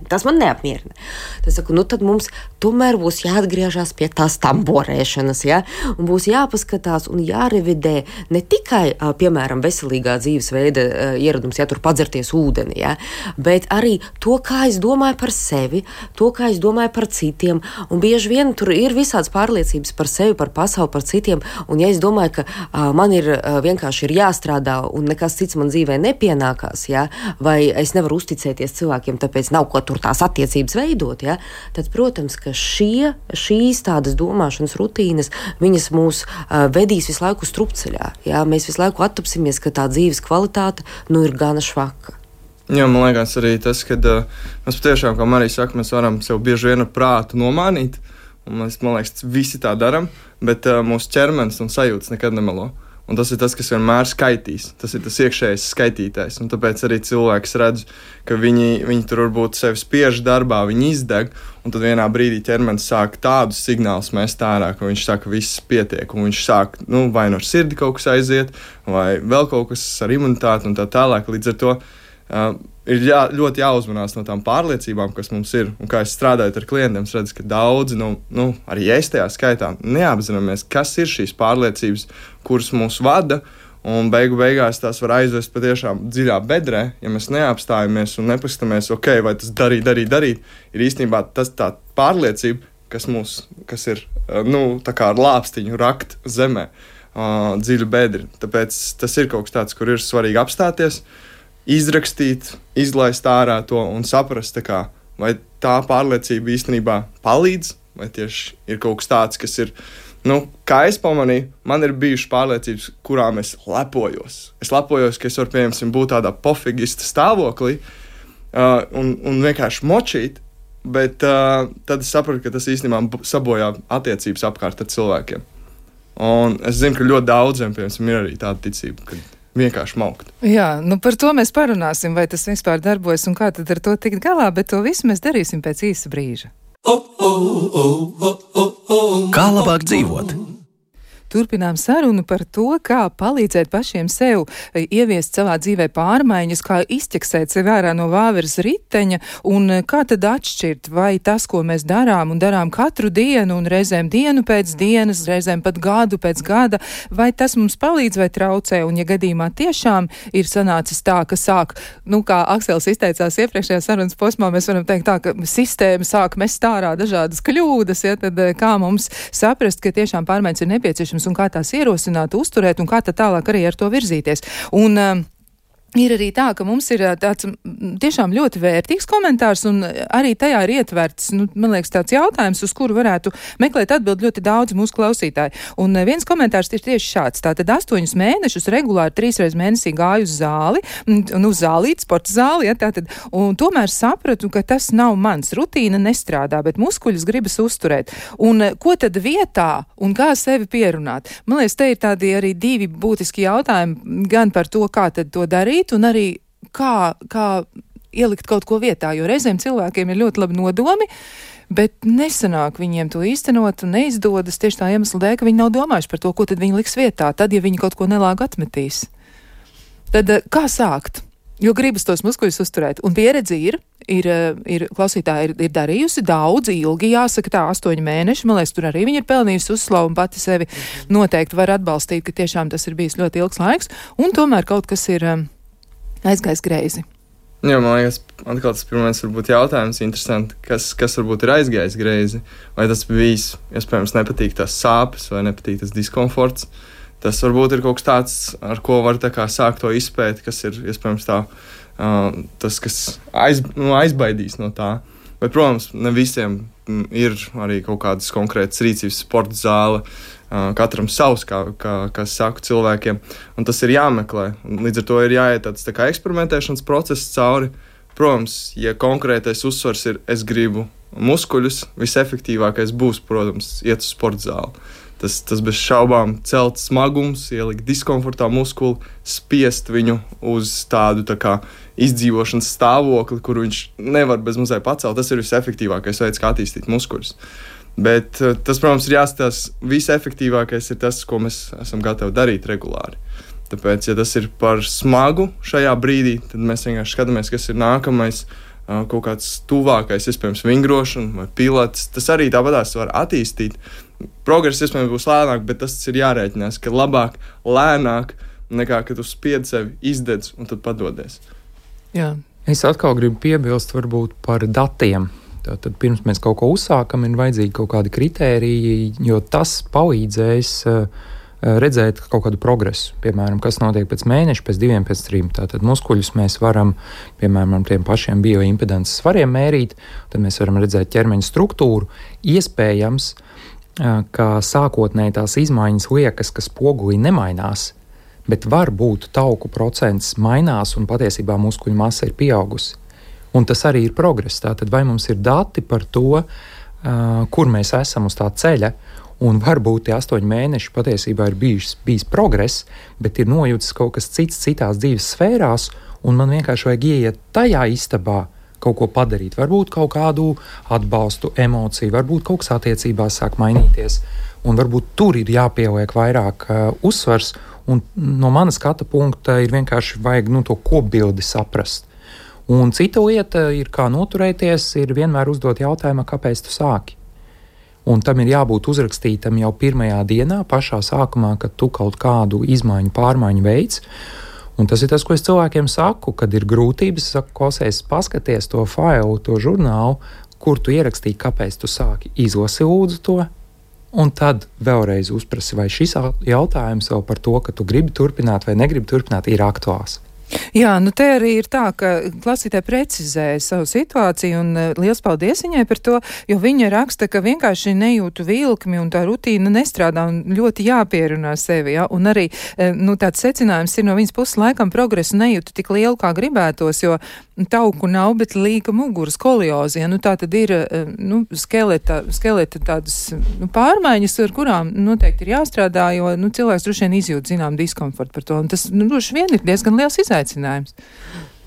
Speaker 3: tas man neapmierina. Tad es saku, tad mums tomēr būs jāatgriežas pie tās tamborēšanas, ja? Un būs jāpaskatās un jārevidē ne tikai, piemēram, veselīgā dzīvesveida ieradums, ja tur padzerties ūdeni, ja? Bet arī to, kā es domāju par sevi, to, kā es domāju par citiem. Un bieži vien tur ir visādas pārliecības par sevi, par pasauli, par citiem. Un ja es domāju, ka man ir vienkārši ir jāstrādā un nekas cits man dzīvē nepienākās, ja? Vai es nevaru uzticēties cilvēkiem, tāpēc nav ko tur tās attiecības veidot, ja? Tad, protams, ka šīs tādas domāšanas rutīnas, viņas mūs vedīs visu laiku strupceļā. Ja? Mēs visu laiku attapsimies, ka tā dzīves kvalitāte ir gana švaka.
Speaker 1: Jā, man liekas arī tas, ka mēs patiešām, kā Marija saka, mēs varam sev bieži vien ar prātu nomānīt, un mēs, man liekas, visi tā daram, bet mūsu ķermenis un sajūtas nekad nemelo. Un tas ir tas, kas vienmēr skaitīs. Tas ir tas iekšējais skaitītājs. Un tāpēc arī cilvēks redz, ka viņi tur varbūt sevi spiež darbā, viņi izdeg, un tad vienā brīdī ķermenis sāk tādus signālus mest ārā, ka viņš saka, ka viss pietiek, un viņš sāk, vai no sirdi kaut kas aiziet, vai vēl kaut kas ar imunitāti un tā tālāk. Līdz ar to ir ļoti jāuzmanās no tām pārliecībām, kas mums ir. Un kā es strādāju ar klientiem, es redzu, ka daudzi, arī es tajā skaitā, neapzināmies, kas ir šīs pārliecības, kuras mūs vada, un beigās tās var aizvest patiešām dziļā bedrē, ja mēs neapstājamies un nepaskatāmies, vai tas darīt, ir īstenībā tas tā pārliecība, kas ir, tā kā ar lāpstiņu rakt zemē, dziļu bedri. Tāpēc tas ir kaut kas tāds, kur ir svarīgi apstāties, izrakstīt, izlaist ārā to un saprast, vai tā pārliecība īstenībā palīdz, vai tieši ir kaut kas tāds, kas ir, kā es pamanīju, man ir bijušas pārliecības, kurām es lepojos. Es lepojos, ka es varu, piemēram, būt tādā pofigista stāvoklī un vienkārši močīt, bet tad es sapratu, ka tas īstenībā sabojā attiecības apkārt ar cilvēkiem. Un es zinu, ka ļoti daudziem, piemēram, ir arī tāda ticība, ka vienkārši maukt.
Speaker 2: Jā, par to mēs parunāsim, vai tas vispār darbojas un kā tad ar to tikt galā, bet to visu mēs darīsim pēc īsa brīža.
Speaker 5: Kā labāk dzīvot?
Speaker 2: Turpinām sarunu par to, kā palīdzēt pašiem sev ieviest savā dzīvē pārmaiņas, kā izķeksēt sevi ārā no vāveres riteņa un kā tad atšķirt, vai tas, ko mēs darām un darām katru dienu un reizēm dienu pēc dienas, reizēm pat gadu pēc gada, vai tas mums palīdz vai traucē, un ja gadījumā tiešām ir sanācis tā, ka sāk, kā Aksels izteicās iepriekšējā sarunas posmā, mēs varam teikt tā, ka sistēma sāk mest ārā dažādas kļūdas, ja, tad kā mums saprast, ka tiešām pārmaiņas ir nepieciešams un kā tās ierosināt, uzturēt un kā tad tālāk arī ar to virzīties. Un Ir arī tā, ka mums ir tāds tiešām ļoti vērtīgs komentārs, un arī tajā ir ietverts, man liekas, tāds jautājums, uz kuru varētu meklēt atbild ļoti daudz mūsu klausītāji. Un viens komentārs ir tieši šāds. Tātad 8 mēnešus regulāri 3 reizes mēnesī gāju uz zāli, un uz zālīt, sporta zāli, ja, tātad, un tomēr sapratu, ka tas nav mans, rutīna nestrādā, bet muskuļus gribas uzturēt. Un ko tad vietā, un kā sevi pierunāt? Man liekas, te ir tādi arī 2 būtiski jautājumi, gan par to, kā tad to darīt, un arī kā ielikt kaut ko vietā, jo reizēm cilvēkiem ir ļoti labi nodomi, bet nesanāk viņiem to īstenot un neizdodas tieši tā iemesla dēļ, ka viņi nav domājuši par to, ko tad viņi liks vietā, tad, ja viņi kaut ko nelāgu atmetīs. Tad kā sākt? Jo gribas tos muskuļus uzturēt. Un pieredzi ir klausītāji ir darījusi daudz, ilgi, jāsaka tā, 8 mēneši. Man liekas, tur arī viņa ir pelnījusi uzslavu un pati sevi noteikti var atbalstīt, ka tiešām tas ir bijis ļoti ilgs laiks. Un tomēr kaut kas ir aizgājis greizi.
Speaker 1: Jā, man liekas, atkal tas pirmais varbūt jautājums interesanti, kas varbūt ir aizgājis greizi, vai tas bijis, iespējams, nepatīk tās sāpes vai nepatīk tas diskomforts. Tas varbūt ir kaut kas tāds, ar ko var tā kā sākt to izpēt, kas ir, iespējams, tas, kas aizbaidīs no tā. Bet, protams, ne visiem ir arī kaut kādas konkrētas rīcības sporta zāle, katram savs, kā saku cilvēkiem, un tas ir jāmeklē. Līdz ar to ir jāiet tāds tā kā eksperimentēšanas process cauri. Protams, ja konkrētais uzsvars ir, es gribu muskuļus, visefektīvākais būs, protams, iet uz sporta zāli. Tas bez šaubām celt smagums, ielikt diskomfortā muskuli, spiest viņu uz tādu tā kā izdzīvošanas stāvokli, kur viņš nevar bez mazai pacelt. Tas ir visefektīvākais veids, kā attīstīt muskuļus. Bet tas, protams, ir jāskatās, visefektīvākais ir tas, ko mēs esam gatavi darīt regulāri. Tāpēc, ja tas ir par smagu šajā brīdī, tad mēs vienkārši skatāmies, kas ir nākamais, kaut kāds tuvākais, iespējams, vingrošana vai pilates. Tas arī tāpatās var attīstīt. Progress, iespējams, būs lēnāk, bet tas ir jārēķinās, ka labāk lēnāk nekā, kad tu spiedzi sevi, izdedz un tad padodies.
Speaker 2: Jā.
Speaker 4: Es atkal gribu piebilst varbūt par datiem. Tātad pirms mēs kaut ko uzsākam, ir vajadzīgi kaut kādi kritēriji, jo tas palīdzēs redzēt kaut kādu progresu. Piemēram, kas notiek pēc mēneša, pēc 2, pēc 3. Tātad muskuļus mēs varam, piemēram, tiem pašiem bioimpedances svariem mērīt, tad mēs varam redzēt ķermeņa struktūru. Iespējams, ka sākotnēji tās izmaiņas liekas, ka spogulī nemainās, bet varbūt tauku procents mainās un patiesībā muskuļu masa ir pieaugusi. Un tas arī ir progress. Tātad vai mums ir dati par to, kur mēs esam uz tā ceļa, un varbūt tie 8 mēneši patiesībā ir bijis progress, bet ir nojūtas kaut kas cits citās dzīves sfērās, un man vienkārši vajag ieiet tajā istabā, kaut ko padarīt. Varbūt kaut kādu atbalstu, emociju, varbūt kaut kas attiecībās sāk mainīties, un varbūt tur ir jāpieliek vairāk uzsvars, un no mana skata punkta ir vienkārši vajag to kopbildi saprast. Un cita lieta ir, kā noturēties, ir vienmēr uzdot jautājumu, kāpēc tu sāki. Un tam ir jābūt uzrakstītam jau pirmajā dienā, pašā sākumā, kad tu kaut kādu izmaiņu, pārmaiņu veids. Un tas ir tas, ko es cilvēkiem saku, kad ir grūtības, saku, klausies, paskaties to failu, to žurnālu, kur tu ierakstīji, kāpēc tu sāki, izlasi lūdzu to, un tad vēlreiz uzprasi, vai šis jautājums vēl par to, ka tu gribi turpināt vai negribi turpināt, ir aktuāls.
Speaker 2: Jā, te arī ir tā, ka klausītāji precizēja savu situāciju, un liels paldies viņai par to, jo viņa raksta, ka vienkārši nejūtu vilkmi un tā rutīna nestrādā un ļoti jāpierunā sevi, ja? Un arī, tāds secinājums ir no viņas puses laikam progresu nejūtu tik lielu, kā gribētos, jo tauku nav, bet līka muguras skoliozi, ja? Tā tad ir, skeleta tādas pārmaiņas, ar kurām noteikti ir jāstrādā, jo, cilvēks droši vien izjūt zinām diskomfortu par to, un tas, droši vien ir diezgan liels izaicinājums.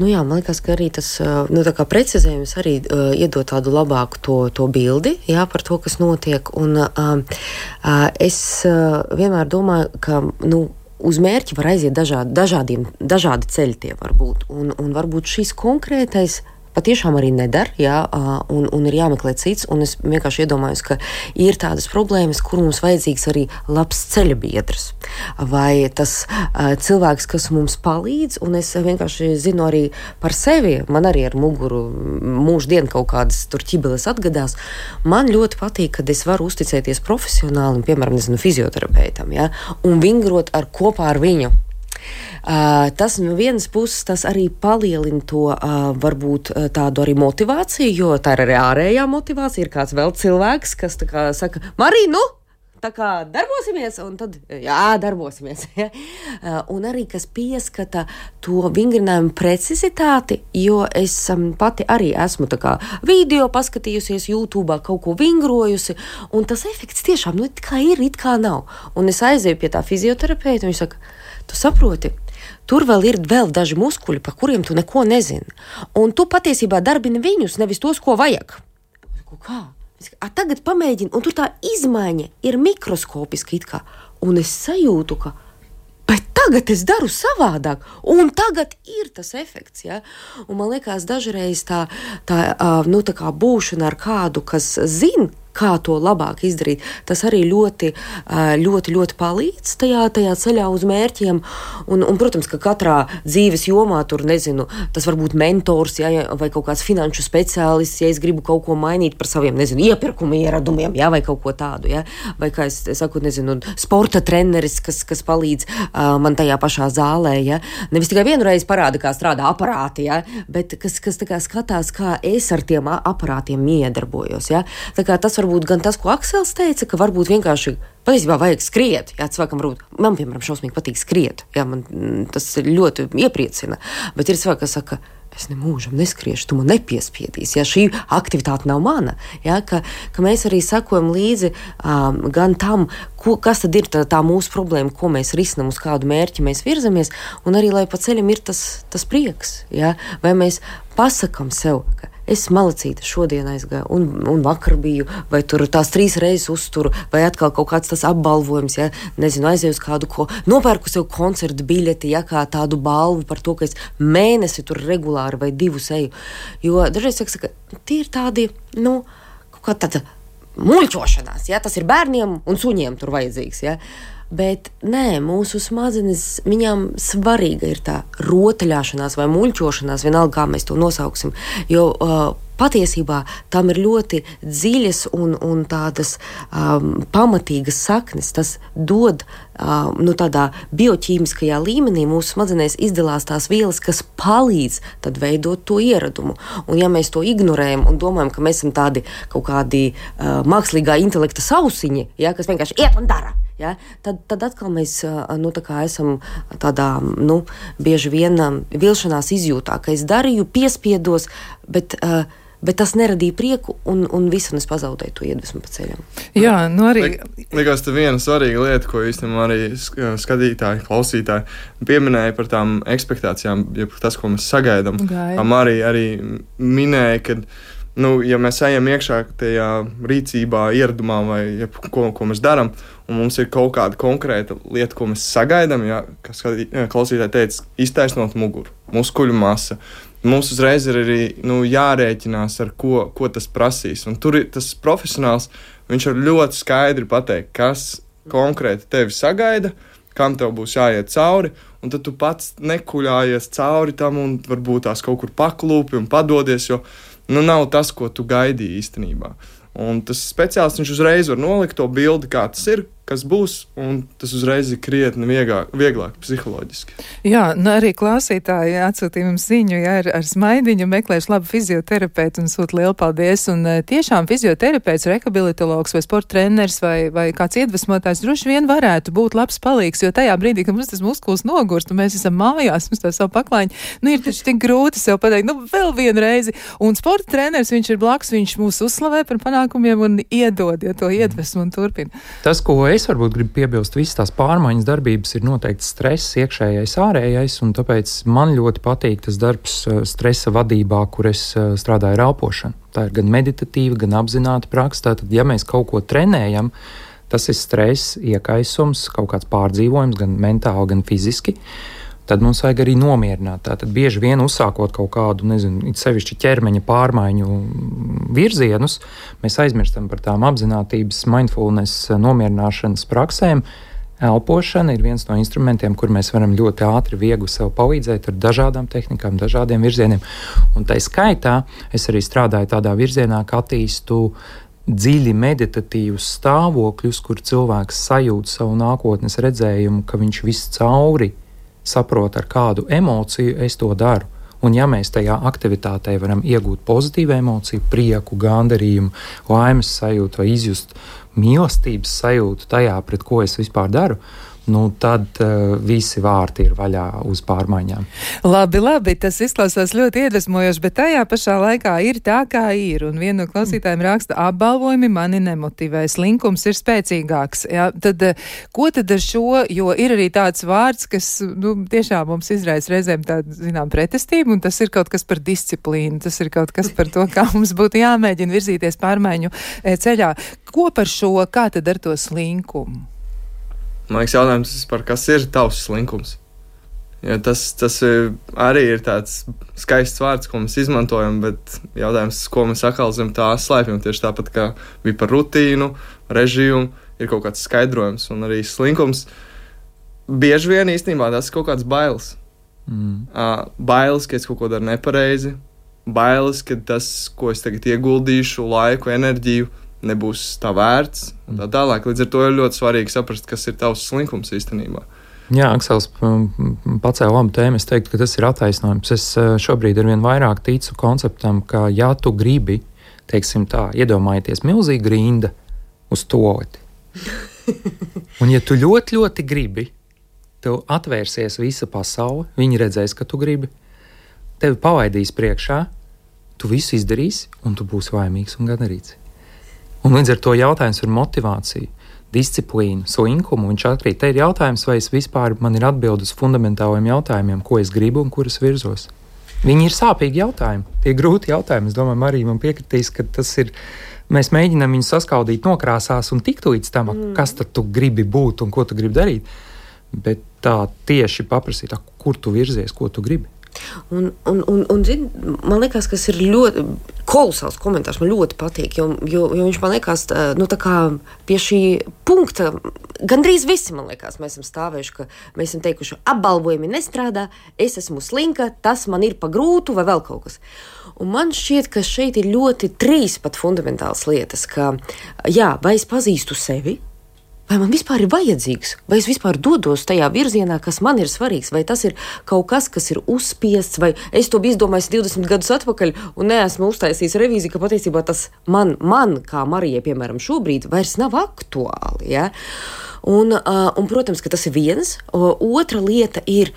Speaker 3: Jā, man liekas, ka arī tas tā kā precizējums arī iedod tādu labāku to bildi, jā, par to, kas notiek. Un es vienmēr domāju, ka uz mērķi var aiziet dažādi ceļi tie var būt. Un varbūt šis konkrētais patiešām arī nedara, jā, un ir jāmeklē cits, un es vienkārši iedomājos, ka ir tādas problēmas, kur mums vajadzīgs arī labs ceļabiedrs, vai tas cilvēks, kas mums palīdz, un es vienkārši zinu arī par sevi, man arī ar muguru mūždien kaut kādas tur ķibeles atgadās, man ļoti patīk, kad es varu uzticēties profesionālim, piemēram, fizioterapeitam, jā, un vingrot kopā ar viņu. Tas no vienas puses tas arī palielina to varbūt tādu arī motivāciju, jo tā ir arī ārējā motivācija. Ir kāds vēl cilvēks, kas tā kā saka, Marija, nu, tā kā darbosimies, un tad, jā, darbosimies. Ja? Un arī, kas pieskata to vingrinājumu precizitāti, jo es pati arī esmu tā kā video paskatījusies YouTube'ā, kaut ko vingrojusi, un tas efekts tiešām, nu, it kā ir, it kā nav. Un es aizēju pie tā fizioterapeita, un viņš saka, tu saproti, tur vēl ir daži muskuļi, par kuriem tu neko nezini. Un tu patiesībā darbini viņus, nevis tos, ko vajag. Kā? Tagad pamēģini, un tur tā izmaiņa ir mikroskopiska it kā. Un es sajūtu, ka bet tagad es daru savādāk, un tagad ir tas efekts. Ja? Un man liekas, dažreiz tā kā būšana ar kādu, kas zina, kā to labāk izdarīt, tas arī ļoti palīdz tajā ceļā uz mērķiem. Un, protams, ka katrā dzīves jomā tur, nezinu, tas var būt mentors, ja, vai kaut kāds finanšu speciālists, ja es gribu kaut ko mainīt par saviem, nezinu, iepirkuma ieradumiem, ja, vai kaut ko tādu, ja, vai, kā es saku, nezinu, sporta treneris, kas palīdz man tajā pašā zālē, ja. Nevis tikai vienreiz parāda, kā strādā aparāti, ja, bet kas tā kā skatās, kā es ar tiem aparātiem iedarbojos, ja. Tā kā tas varbūt gan tas, ko Aksels teica, ka varbūt vienkārši patiesībā vajag skriet. Jā, cilvēkam varbūt, man, piemēram, šausmīgi patīk skriet. Jā, man tas ļoti iepriecina. Bet ir cilvēki, kas saka, es nemūžam neskriešu, tu man nepiespiedīsi. Jā, šī aktivitāte nav mana. Jā, ka mēs arī sakojam līdzi gan tam, kas tad ir tā mūsu problēma, ko mēs risinam, uz kādu mērķi mēs virzamies, un arī, lai pa ceļam ir tas prieks. Jā, vai mēs pasakam sev, ka es malacīta šodien aizgāju, un vakar biju, vai tur tās 3 reizes uzturu, vai atkal kaut kāds tas apbalvojums, ja, nezinu, aizēju uz kādu, ko nopērku sev koncertu biļeti, ja, kā tādu balvu par to, ka es mēnesi tur regulāri vai 2 eju. Jo dažreiz saka, tie ir tādi, nu, kaut kā tāda muļķošanās, ja, tas ir bērniem un suņiem tur vajadzīgs, ja. Bet nē, mūsu smadzenes, viņām svarīga ir tā rotaļāšanās vai muļķošanās, vienalga, kā mēs to nosauksim, jo patiesībā tam ir ļoti dziļas un tādas pamatīgas saknes. Tas dod tādā bioķīmiskajā līmenī mūsu smadzenēs izdalās tās vielas, kas palīdz tad veidot to ieradumu. Un ja mēs to ignorējam un domājam, ka mēs esam tādi kaut kādi mākslīgā intelekta sausiņi, ja, kas vienkārši iet un dara, ja, tad atkal mēs esam tādā bieži vien vilšanās izjūtā, ka es darīju, piespiedos, bet tas neradīja prieku un visu, un es pazaudēju to iedvesmu pa ceļam.
Speaker 2: Jā, arī.
Speaker 1: Likās, te viena svarīga lieta, ko īstenībā arī skatītāji, klausītāji pieminēja par tām ekspektācijām, ja tas, ko mēs sagaidām. Arī minēja, ka ja mēs ejam iekšā tajā rīcībā, ieradumā vai ko mēs darām, un mums ir kaut kāda konkrēta lieta, ko mēs sagaidām, ja, kas klausītāji teica, iztaisnot muguru, muskuļu masa. Mums uzreiz ir arī jārēķinās, ar ko tas prasīs. Un tur ir tas profesionāls, viņš var ļoti skaidri pateikt, kas konkrēti tevi sagaida, kam tev būs jāiet cauri, un tad tu pats nekuļājies cauri tam un varbūt tās kaut kur paklūpi un padodies, jo nav tas, ko tu gaidīji īstenībā. Un tas speciālists, viņš uzreiz var nolikt to bildi, kā tas ir, kas būs, un tas uzreiz ir krietni vieglāk psiholoģiski.
Speaker 2: Jā, arī klausītāji atsūtīja mums ziņu, ja ar smaidiņu meklēšu labu fizioterapeitu un sūta lielu paldies. Un tiešām fizioterapeits, rehabilitologs vai sporta treneris vai kāds iedvesmotājs droši vien varētu būt labs palīgs, jo tajā brīdī, kad mums tas muskulis nogurst un mēs esam mājās, mums tā savu paklājiņu, ir taču tik grūti sev pateikt, vēl vienu reizi. Un sporta treneris, viņš ir blakus, viņš mūs uzslavē par panākumiem un iedod, ja to iedvesmu un turpina.
Speaker 4: Tas, ko es varbūt gribu piebilst, visas tās pārmaiņas darbības ir noteikti stress, iekšējais, ārējais, un tāpēc man ļoti patīk tas darbs stresa vadībā, kur es strādāju ar elpošanu. Tā ir gan meditatīva, gan apzināta praksa. Tātad, ja mēs kaut ko trenējam, tas ir stress, iekaisums, kaut kāds pārdzīvojums, gan mentāli, gan fiziski. Tad mums vajag arī nomierināt. Tātad bieži vien uzsākot kaut kādu, it sevišķi ķermeņa pārmaiņu virzienus, mēs aizmirstam par tām apzinātības, mindfulness, nomierināšanas praksēm. Elpošana ir viens no instrumentiem, kur mēs varam ļoti ātri, viegli sev palīdzēt ar dažādām tehnikām, dažādiem virzieniem. Un tai skaitā es arī strādāju tādā virzienā, ka attīstu dziļi meditatīvus stāvokļus, kur cilvēks sajūt savu nākotnes redzējumu, ka viņš viss cauri saprot, ar kādu emociju es to daru. Un ja mēs tajā aktivitātē varam iegūt pozitīvu emociju, prieku, gandarījumu, laimes sajūtu vai izjust mīlestības sajūtu tajā, pret ko es vispār daru, tad visi vārti ir vaļā uz pārmaiņām.
Speaker 2: Labi, tas izklausās ļoti iedvesmojoši, bet tajā pašā laikā ir tā, kā ir. Un viena no klausītājiem raksta, apbalvojumi mani nemotivē, slinkums ir spēcīgāks. Jā, tad, ko tad ar šo, jo ir arī tāds vārds, kas tiešām mums izraisa reizēm tādu, zinām, pretestību, un tas ir kaut kas par disciplīnu, tas ir kaut kas par to, kā mums būtu jāmēģina virzīties pārmaiņu ceļā. Ko par šo, kā tad ar to slinkumu?
Speaker 1: Man liekas, jautājums par kas ir tavs slinkums. Ja tas arī ir tāds skaists vārds, ko mēs izmantojam, bet jautājums, ko mēs atkal zem tā slēpjam, tieši tāpat kā bija par rutīnu, režīmu, ir kaut kāds skaidrojums, un arī slinkums. Bieži vien īstenībā tas ir kaut kāds bailes. Bailes, ka es kaut ko daru nepareizi, bailes, ka tas, ko es tagad ieguldīšu, laiku, enerģiju, nebūs tā vērts un tā tālāk. Līdz ar to ir ļoti svarīgi saprast, kas ir tavs slinkums īstenībā.
Speaker 4: Jā, Aksels pacēla labu tēmu. Es teiktu, ka tas ir attaisnojums. Es šobrīd arvien vairāk ticu konceptam, ka ja tu gribi, teiksim tā, iedomājieties milzīgu rinda uz toaleti. Un ja tu ļoti, ļoti gribi, tev atvērsies visa pasaule, viņi redzēs, ka tu gribi, tevi palaidīs priekšā, tu visu izdarīsi un tu būsi laimīgs un gandarīts. Un līdz ar to jautājums par motivāciju, disciplīnu, slinkumu, viņš atkrīt. Te ir jautājums, vai es vispār man ir atbildi uz fundamentāliem jautājumiem, ko es gribu un kuras virzos. Viņi ir sāpīgi jautājumi, tie ir grūti jautājumi. Es domāju, Marija man piekritīs, ka tas ir, mēs mēģinām viņus saskaudīt nokrāsās un tikt līdz tam, kas tad tu gribi būt un ko tu gribi darīt. Bet tā tieši paprasīt, kur tu virzies, ko tu gribi.
Speaker 3: Un zin, man liekas, kas ir ļoti kolosāls komentārs, man ļoti patīk, jo viņš man liekas, tā kā pie šī punkta gandrīz visi, man liekas, mēs esam stāvējuši, ka mēs esam teikuši, apbalvojumi nestrādā, es esmu slinka, tas man ir pa grūtu vai vēl kaut kas. Un man šķiet, ka šeit ir ļoti trīs pat fundamentāls lietas, ka, jā, vai es pazīstu sevi, vai man vispār ir vajadzīgs, vai es vispār dodos tajā virzienā, kas man ir svarīgs, vai tas ir kaut kas, kas ir uzspiests, vai es to biju izdomājis 20 gadus atpakaļ un neesmu uztaisījis revīziju, ka patiesībā tas man kā Marijai, piemēram, šobrīd vairs nav aktuāli. Ja? Un, protams, ka tas ir viens. Otra lieta ir,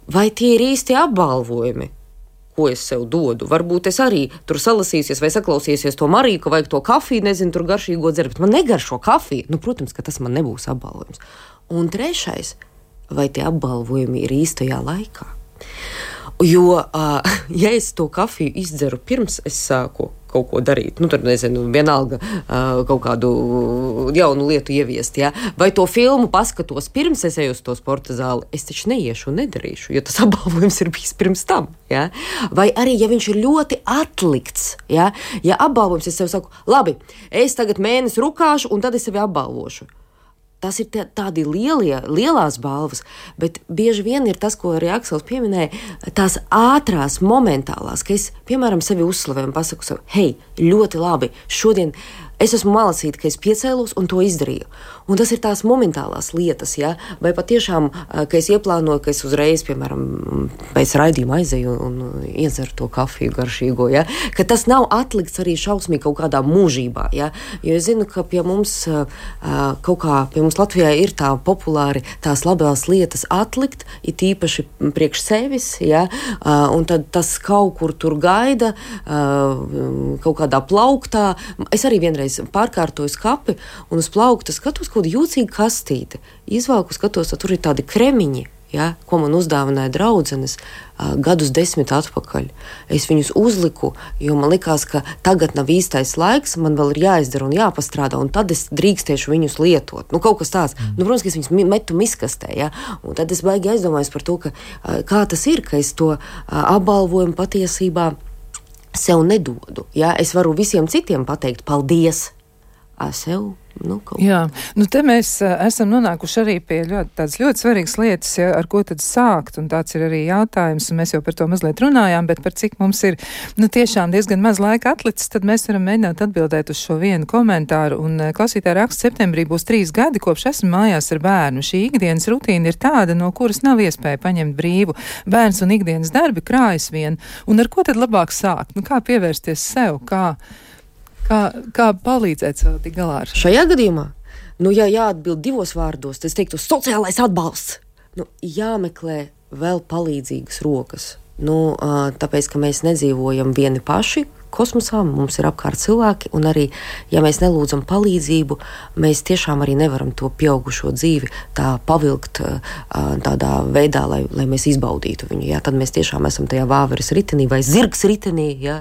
Speaker 3: vai tie ir īsti apbalvojumi, ko es sev dodu. Varbūt es arī tur salasīsies vai saklausīsies to Mariju, ka vajag to kafiju, nezinu, tur garšīgo dzert, bet man negaršo kafiju. Protams, ka tas man nebūs apbalvojums. Un trešais, vai tie apbalvojumi ir īstajā laikā? Jo, ja es to kafiju izdzeru pirms es sāku kaut ko darīt, tur nezinu, vienalga kaut kādu jaunu lietu ieviest, ja? Vai to filmu paskatos pirms es eju uz to sporta zāli, es taču neiešu un nedarīšu, jo tas apbalvojums ir bijis pirms tam. Ja? Vai arī, ja viņš ir ļoti atlikts, ja apbalvojums, es sev saku, labi, es tagad mēnesi rukāšu un tad es sevi apbalvošu. Tas ir tādi lielās balvas, bet bieži vien ir tas, ko arī Aksels pieminēja, tās ātrās, momentālās, ka es, piemēram, sevi uzslavēju un pasaku sev, hei, ļoti labi, šodien es esmu malasīta, ka es piecēlos un to izdarīju. Un tas ir tās momentālās lietas, ja? Vai patiešām, ka es ieplānoju, ka es uzreiz, piemēram, pēc raidījuma aizēju un iedzeru to kafiju garšīgo, ja? Ka tas nav atlikts arī šausmīgi kaut kādā mūžībā, ja? Jo es zinu, ka pie mums Latvijā ir tā populāri tās labās lietas atlikt, it īpaši priekš sevis, ja? Un tad tas kaut kur tur gaida, kaut kādā plauktā. Es arī vienreiz pārkārtoju skapi un uz plaukta skatos kaut kādu jūcīgu kastīti. Izvalku skatos, tur ir tādi kremiņi, ja, ko man uzdāvināja draudzenes gadus 10 atpakaļ. Es viņus uzliku, jo man likās, ka tagad nav īstais laiks, man vēl ir jāizdara un jāpastrādā, un tad es drīkstiešu viņus lietot. Kaut kas tāds. Protams, ka es viņus metu miskastē, ja, un tad es baigi aizdomājos par to, ka kā tas ir, ka es to apbalvojumu patiesībā sev nedodu. Ja? Es varu visiem citiem pateikt paldies. sev.
Speaker 2: Jā, te mēs esam nonākuši arī pie tādas ļoti svarīgas lietas, ja, ar ko tad sākt, un tāds ir arī jautājums, un mēs jau par to mazliet runājām, bet par cik mums ir, tiešām diezgan maz laika atlicis, tad mēs varam mēģināt atbildēt uz šo vienu komentāru, un klausītāja raksta, septembrī būs 3 gadi, kopš esmu mājās ar bērnu. Šī ikdienas rutīna ir tāda, no kuras nav iespēja paņemt brīvu. Bērns un ikdienas darbi krājas vien, un ar ko tad labāk sākt? Kā pievērsties sev, Kā palīdzēt sev tik galā ar šo?
Speaker 3: Šajā gadījumā, ja jāatbild 2 vārdos, tad es teiktu sociālais atbalsts. Jāmeklē vēl palīdzīgas rokas. Tāpēc, ka mēs nedzīvojam vieni paši kosmosā, mums ir apkārt cilvēki, un arī, ja mēs nelūdzam palīdzību, mēs tiešām arī nevaram to pieaugušo dzīvi tā pavilkt tādā veidā, lai mēs izbaudītu viņu. Jā, tad mēs tiešām esam tajā vāveres ritenī vai zirgs ritenī, jā,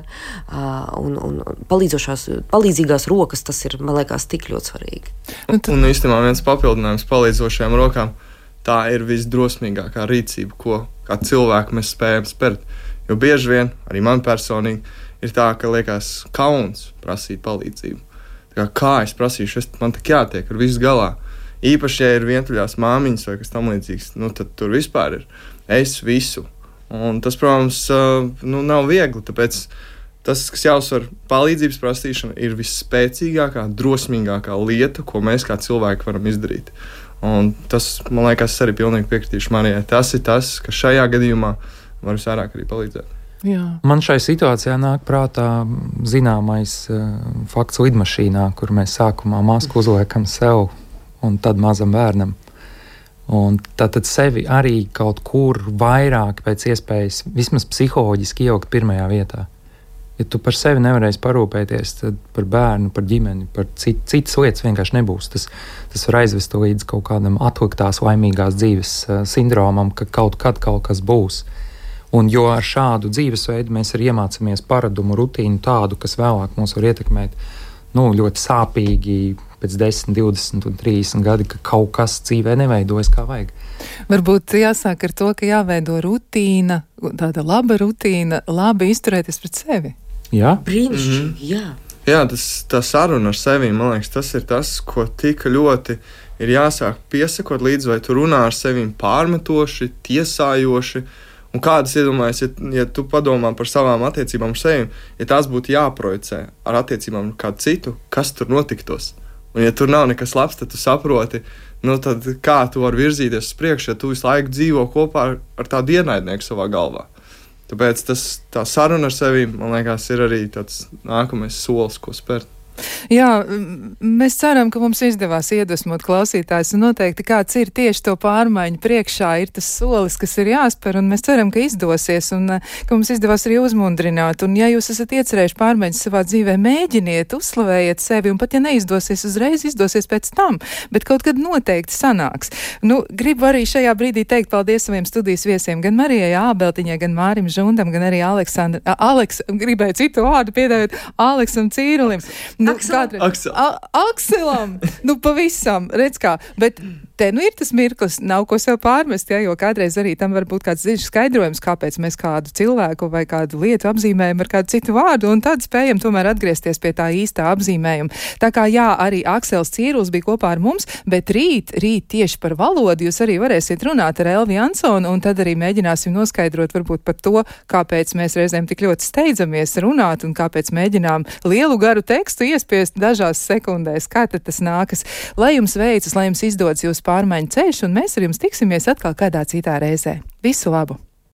Speaker 3: un palīdzīgās rokas, tas ir, man liekas, tik ļoti svarīgi.
Speaker 1: Un īstenībā viens papildinājums palīdzošajām rokām, tā ir visdrosmīgākā rīcība, ko kā cilvēki mēs spējam spērt. Jo bieži vien, arī man personīgi, ir tā, ka liekas kauns prasīt palīdzību. Kā es prasīšu, man tik jātiek ar visu galā. Īpaši, ja ir vientuļās māmiņas vai kas tam līdzīgs, tad tur vispār ir es visu. Un tas, protams, nav viegli, tāpēc tas, kas jāuzsver, palīdzības prasīšana ir visspēcīgākā, drosmīgākā lieta, ko mēs kā cilvēki varam izdarīt. Un tas, man liekas, es arī pilnīgi piekritīšu Marijai. Tas ir tas, ka šajā gadījumā var visvairāk arī palīdzēt.
Speaker 2: Jā.
Speaker 4: Man šai situācijā nāk prātā zināmais fakts lidmašīnā, kur mēs sākumā masku uzliekam sev un tad mazam bērnam. Un tad sevi arī kaut kur vairāk pēc iespējas, vismaz psiholoģiski ielikt pirmajā vietā. Ja tu par sevi nevarēsi parūpēties, tad par bērnu, par ģimeni, par citas lietas vienkārši nebūs. Tas var aizvest līdz kaut kādam atliktās laimīgās dzīves sindromam, ka kaut kad kaut kas būs. Un jo ar šādu dzīvesveidu mēs arī iemācāmies paradumu, rutīnu tādu, kas vēlāk mūs var ietekmēt ļoti sāpīgi pēc 10, 20 un 30 gadi, ka kaut kas dzīvē neveidojas kā vajag.
Speaker 2: Varbūt jāsāk ar to, ka jāveido rutīna, tāda laba rutīna, labi izturēties pret sevi.
Speaker 4: Jā?
Speaker 3: Brīnišķīgi, jā.
Speaker 1: Jā, tā saruna ar sevi, man liekas, tas ir tas, ko tik ļoti ir jāsāk piesakot līdz, vai tu runā ar sevim pārmetoši, tiesājoši. Un kādas iedomājas, ja tu padomā par savām attiecībām ar sevi, ja tās būtu jāprojicē ar attiecībām ar kādu citu, kas tur notiktos? Un ja tur nav nekas labs, tad tu saproti, tad kā tu vari virzīties uz priekšu, ja tu visu laiku dzīvo kopā ar tādu ienaidnieku savā galvā. Tāpēc tā saruna ar sevi, man liekas, ir arī tāds nākamais solis, ko spērt.
Speaker 2: Jā, mēs ceram, ka mums izdevās iedvesmot klausītājus, un noteikti kāds ir tieši to pārmaiņu priekšā, ir tas solis, kas ir jāspēr, un mēs ceram, ka izdosies, un ka mums izdevās arī uzmundrināt. Un ja jūs esat iecerējuši pārmaiņas savā dzīvē, mēģiniet, uzslavējiet sevi, un pat ja neizdosies uzreiz, izdosies pēc tam, bet kaut kad noteikti sanāks. Gribu arī šajā brīdī teikt paldies saviem studijas viesiem, gan Marijai Ābeltiņai, gan Mārim Žundam, gan arī gribēju citu vārdu piedāvāt, Aleksam Cīrulim. Akselam! Pavisam, redz kā. Bet te ir tas mirklis, nav ko sev pārmest, jo kādreiz arī tam var būt kāds dziļš skaidrojums, kāpēc mēs kādu cilvēku vai kādu lietu apzīmējam ar kādu citu vārdu, un tad spējam tomēr atgriezties pie tā īstā apzīmējuma. Tā kā jā, arī Aksels Cīruls bija kopā ar mums, bet rīt tieši par valodu jūs arī varēsiet runāt ar Elvi Jansonu, un tad arī mēģināsim noskaidrot varbūt par to, kāpēc mēs reizēm tik ļoti steidzamies runāt, un kāpēc mēģinām lielu garu tekstu iespiest dažās sekundēs. Kā tad tas nākas? Lai jums veicas, lai jums izdodas jūsu pārmaiņu ceļš, un mēs ar jums tiksimies atkal kādā citā reizē. Visu labu!